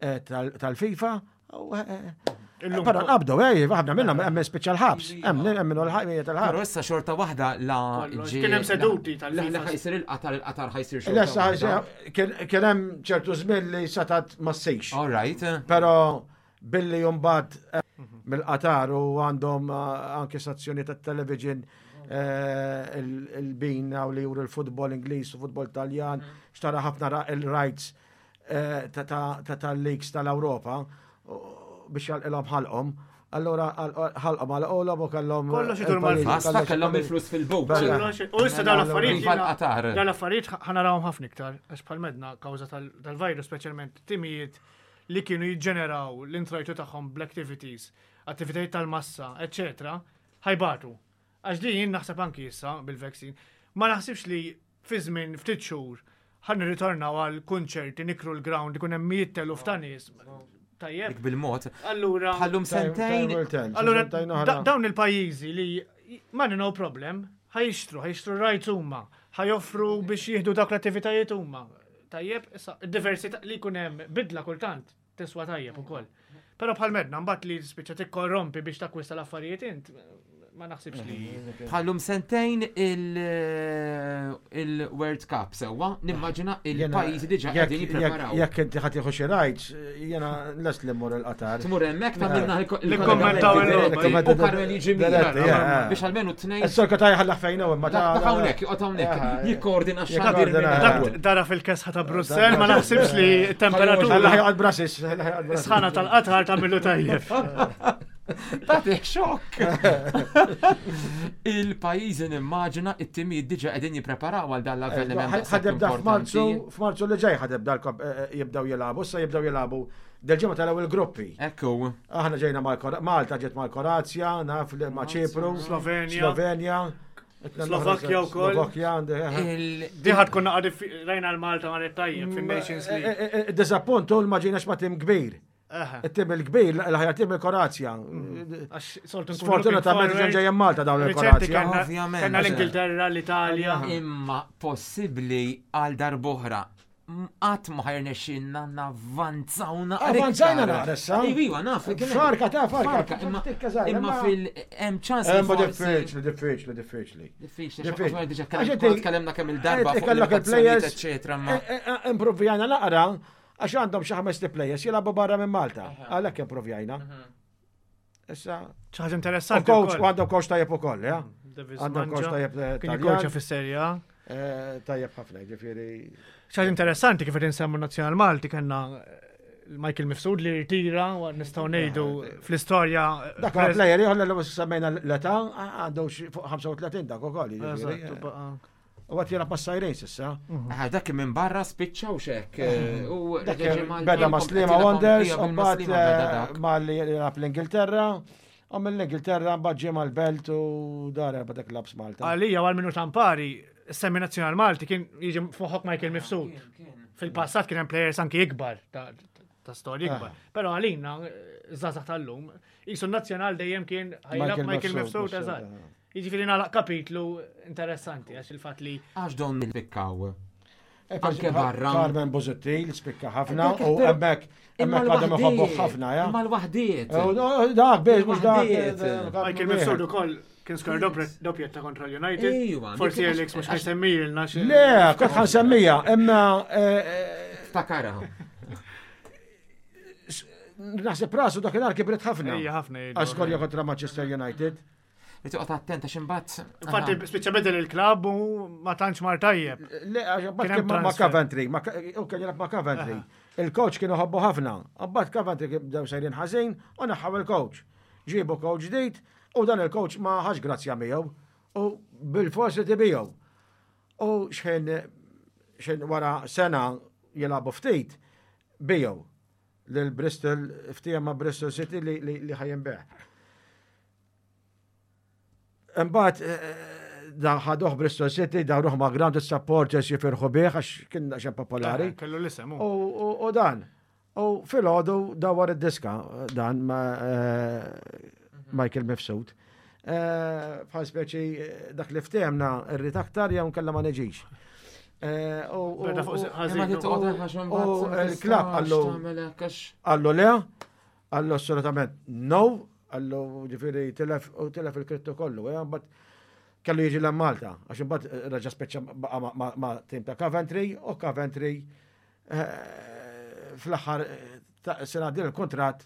eh, tal- tal-FIFA. U, eh, eh, Illum Però nqabdu, eh, ħafna minnhom hemm speċjal ħabs, hemm hemm minnu l-ħajja Però tal-ħabs. issa xorta waħda la Kollox. ġie- Kien hemm seduti la- tal-FIFA. La ħa jsir il-Qatar, il-Qatar ħa jsir xorta. Issa waħda. kien kien hemm ċertu żmien li satat ma ssirx. All right. Però billi jumbat mill-Qatar u għandhom eh, anke stazzjoni ta' television eh, il- il-bina u li juru l-futbol Ingliż u futbol Taljan, xtara ħafna ra- il-rights eh, ta' ta' ta' tal-leagues tal-Ewropa u- biex jalqilhom ħalqhom. Allora ħalqhom għal u kellhom Kollox idur mal- il-pajjiż, Basta kollox- kellhom il-flus fil-but. Bella. Kollox- U issa dawn l-affarijiet. Iva jiena- l-Qatar. Dawn l-affarijiet ħa narawhom ħafna iktar, għax bħal medna kawża tal- tal-virus speċjalment timijiet li kienu jiġġeneraw l-introjtu tagħhom bl-activities, attivitajiet tal-massa, eccetera, ħa jbatu. Għax din jien naħseb anki issa bil-vaccine, ma naħsibx li fi żmien ftit xhur ħa nirritornaw għal kunċerti nikru l-ground ikun hemm mijiet eluf ta' nies. Tajjeb. Dik bil-mod. Allura, Bħallum sentejn. Time will tell. Allora, Sentejn da- oħra. dawn il-pajjiżi li money no problem, ħa jixtru, ħa jixtru rights huma, ħa joffru biex jieħdu dawk l-attivitajiet huma. Tajjeb, issa, id-diversità li jkun hemm bidla kultant tiswa tajjeb ukoll. Però bħal medna mbagħad li spiċċa tikkorrompi biex takkwista l-affarijiet int, ma naħsibx li. Bħallum sentejn il- il-World Cup sewwa, nimmaġina il-pajjiżi diġà Jekk- qegħdin jippreparaw. Jekk inti ħa tieħu xi rights, jiena lest li mmur il-Qatar. Tmur hemmhekk tagħmilna Nikkommentaw il-logħba. U Karmel jiġi Diretti, miegħek eh. biex almenu tnejn. Is-sorka ta' jħallaħ fejn hu imma ta' Dak hawnhekk, joqgħod hawnhekk, jikkoordina x-xandir Jikkoordina, minn eh. hawn. Dak dara fil-kesħa ta' Brussell, ma naħsibx li Ħalla temperatura joqgħod Brussels, ħalla joqgħod Brussels. sħana tal-qatar tagħmilu tajjeb. Tagħti xokk. Il-pajjiżi nimmaġina it-timijiet diġà qegħdin jippreparaw għal dan l-avveniment. Ħa tibda f'Marzu, f'Marzu li ġej ħa tibda jibdew jilagħbu, issa jibdew jilagħbu dil-ġimgħa telgħu il-gruppi. Ekku. Aħna ġejna Malta ġiet mal-Kroazja, naf ma' Ċipru, Slovenja. Slovenja. Slovakkja wkoll. Slovakkja. Di ħa tkun naqra rajna l-Malta marret tajjeb fin-Nations League. Disappuntu ma ġejnax ma' tim kbir. Il-tim il-kbir, l-aħjar tim il-Kroazja. Sfortunatament ġen ġejjem Malta dawn il-Kroazja. Ovvjament. Kellna l-Ingilterra, l-Italja. Imma possibbli għal darb'oħra qatt ma ħa jirnexxilna navvanzaw naqra. Avvanzajna naqra issa. Iva, naf. Farka ta' farka. Imma Tikka żgħira, imma imma- fil hemm ċans. li Imma forsi- diffiċli, diffiċli, diffiċli. Diffiċli, Diffiċli. għax diġà Għax inti- tkellimna kemm il-darba Eh, fuq kellek il-players, il-players, eccetera, ma eh, eh, Improvjajna naqra, għax għandhom xi ħames players jilagħbu barra minn Malta. Għalhekk improvjajna. Issa, Xi ħaġa u interessanti. coach, wkoll. u għandhom coach tajjeb ukoll, ja? Davis Għandhom coach Mangia. tajjeb eh, Kien Taljan. jikkoċja fis-Serie A. Eh, Tajjeb ħafna, ġifieri. Xi ħaġa interessanti kif qed insemmu nazzjonal Malti kellna eh, Michael Mifsud li rtira u nistgħu ngħidu fl-istorja. eh, Dak huwa player ieħor li semmejna l-età għandu xi fuq ħamsa u tletin dak ukoll, ġifieri. Eżatt, u baqa'. U għat jilgħab mas-Sajrin s'issa. Ah, dak minn barra spiċċaw xek. U Dak reġa' ġie Malta, beda ma' jkom Sliema qed jilgħab Wanderers, ija u mbagħad bil-ma' Sliema beda dak. ma li jilgħab l-Ingilterra, u mill-Ingilterra mbagħad ġie mal-Belt u dar erba' dak labs Malta. Għalija għal minu tampari, semmi nazzjonal Malti kien jiġi f'moħħok Michael Mifsud. Fil-passat kien hemm players anki ikbar ta' ta' storja ikbar. Però għalina, żgħażagħ tal-lum, jisu nazzjonal dejjem kien ħa jilgħab Michael Mifsud, eżatt. Jiġifieri nagħlaq kapitlu interessanti għax il-fatt li Għax don nil-pikkaw. Eh, Anke barra. Carmen Busuttil spikka ħafna Dak u però- hemmhekk hemmhekk għadhom iħobbuh ħafna, ja. Imma l-waħdiet. U Dak biex mhux dak. Il-waħdiet. eh, Carmen Michael wieħed. Mifsud ukoll kien skor doppjetta kontra l-United. Ejwa, Forsi dik- Alex mhux ħa jsemmilna xi. Le, kont ħa nsemmija, imma eh, eh, Ftakara. naħseb rasu dakinhar kibret ħafna. Ejja ħafna jgħidu. Għax skorja kontra Manchester United. Li toqgħod attent għax imbagħad. Infatti spiċċa bedel il-klabb u ma tantx mar tajjeb. Le, għax mbagħad Kien hemm kien ma' ma' transfer. Coventry, ma' u kien jilgħab ma' Coventry. Il-coach kienu ħobbu ħafna. Mbagħad Coventry kien bdew sejrin ħażin u neħħaw il-coach. Ġibu coach ġdid u dan il-coach ma ħax grazzja miegħu u bil-forsi tibiegħu. U xħin xħin wara sena jilagħbu ftit biegħu lil Bristol ftehim ma' Bristol City li li, li ħa jinbiegħ. Imbagħad eh, da ħaduh Bristol City, dawruh ma' ground supporters jifirħu bih għax kien xejn popolari. Kellu l-isem. U, u, u dan, u filgħodu dawar id-diska, dan ma' eh, Michael Mifsud. Eh, Bħal speċi eh, dak li ftehemna irrid aktar jew nkella ma neġix. Eh, u- u- Beda fuq u- Imma ħażin. li toqgħod għax imbagħad u ma il-klabb tistax għallu- tagħmel hekk għax- Għallu le, għallu assolutament no, għallu ġifiri tilef u tilef il-krittu kollu, eh, but kellu jiġi l Malta, għax imbagħad reġa' speċa baqa' ma- ma- ma' tim ta' Coventry u Coventry eh, fl-aħħar eh, ta' sena din il-kontrat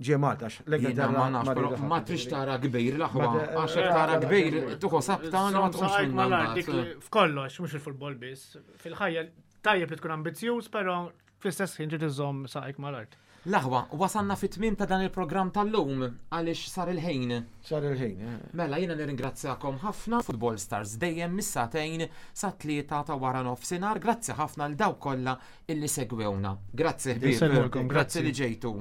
ġie Malta, għax Jiena l-Ingilterra ma nafx, ma però rridu ma ħadd, trix ġifieri. tara kbir l-aħwa, Ma te- għax jekk tara kbir, tuħu sabta ma tqumx Saqajk minn mal-art, dik li f'kollox, mhux fil-futbol biss. Fil-ħajja tajjeb li tkun ambizzjuż, però fl-istess ħin trid iżżomm saqajk mal-art. L-aħwa, wasanna fit-tmim ta' dan il-programm tal-lum, għaliex sar il-ħin. Sar il-ħin. eh. Mela jiena nirringrazzjakom ħafna Football Stars dejjem mis-sagħtejn sa tlieta ta' wara nofsinhar. Grazzi ħafna l dawk kollha illi segwewna. Grazzi ħbieb. Jisellmulkom, Grazzi grazzi. li ġejtu.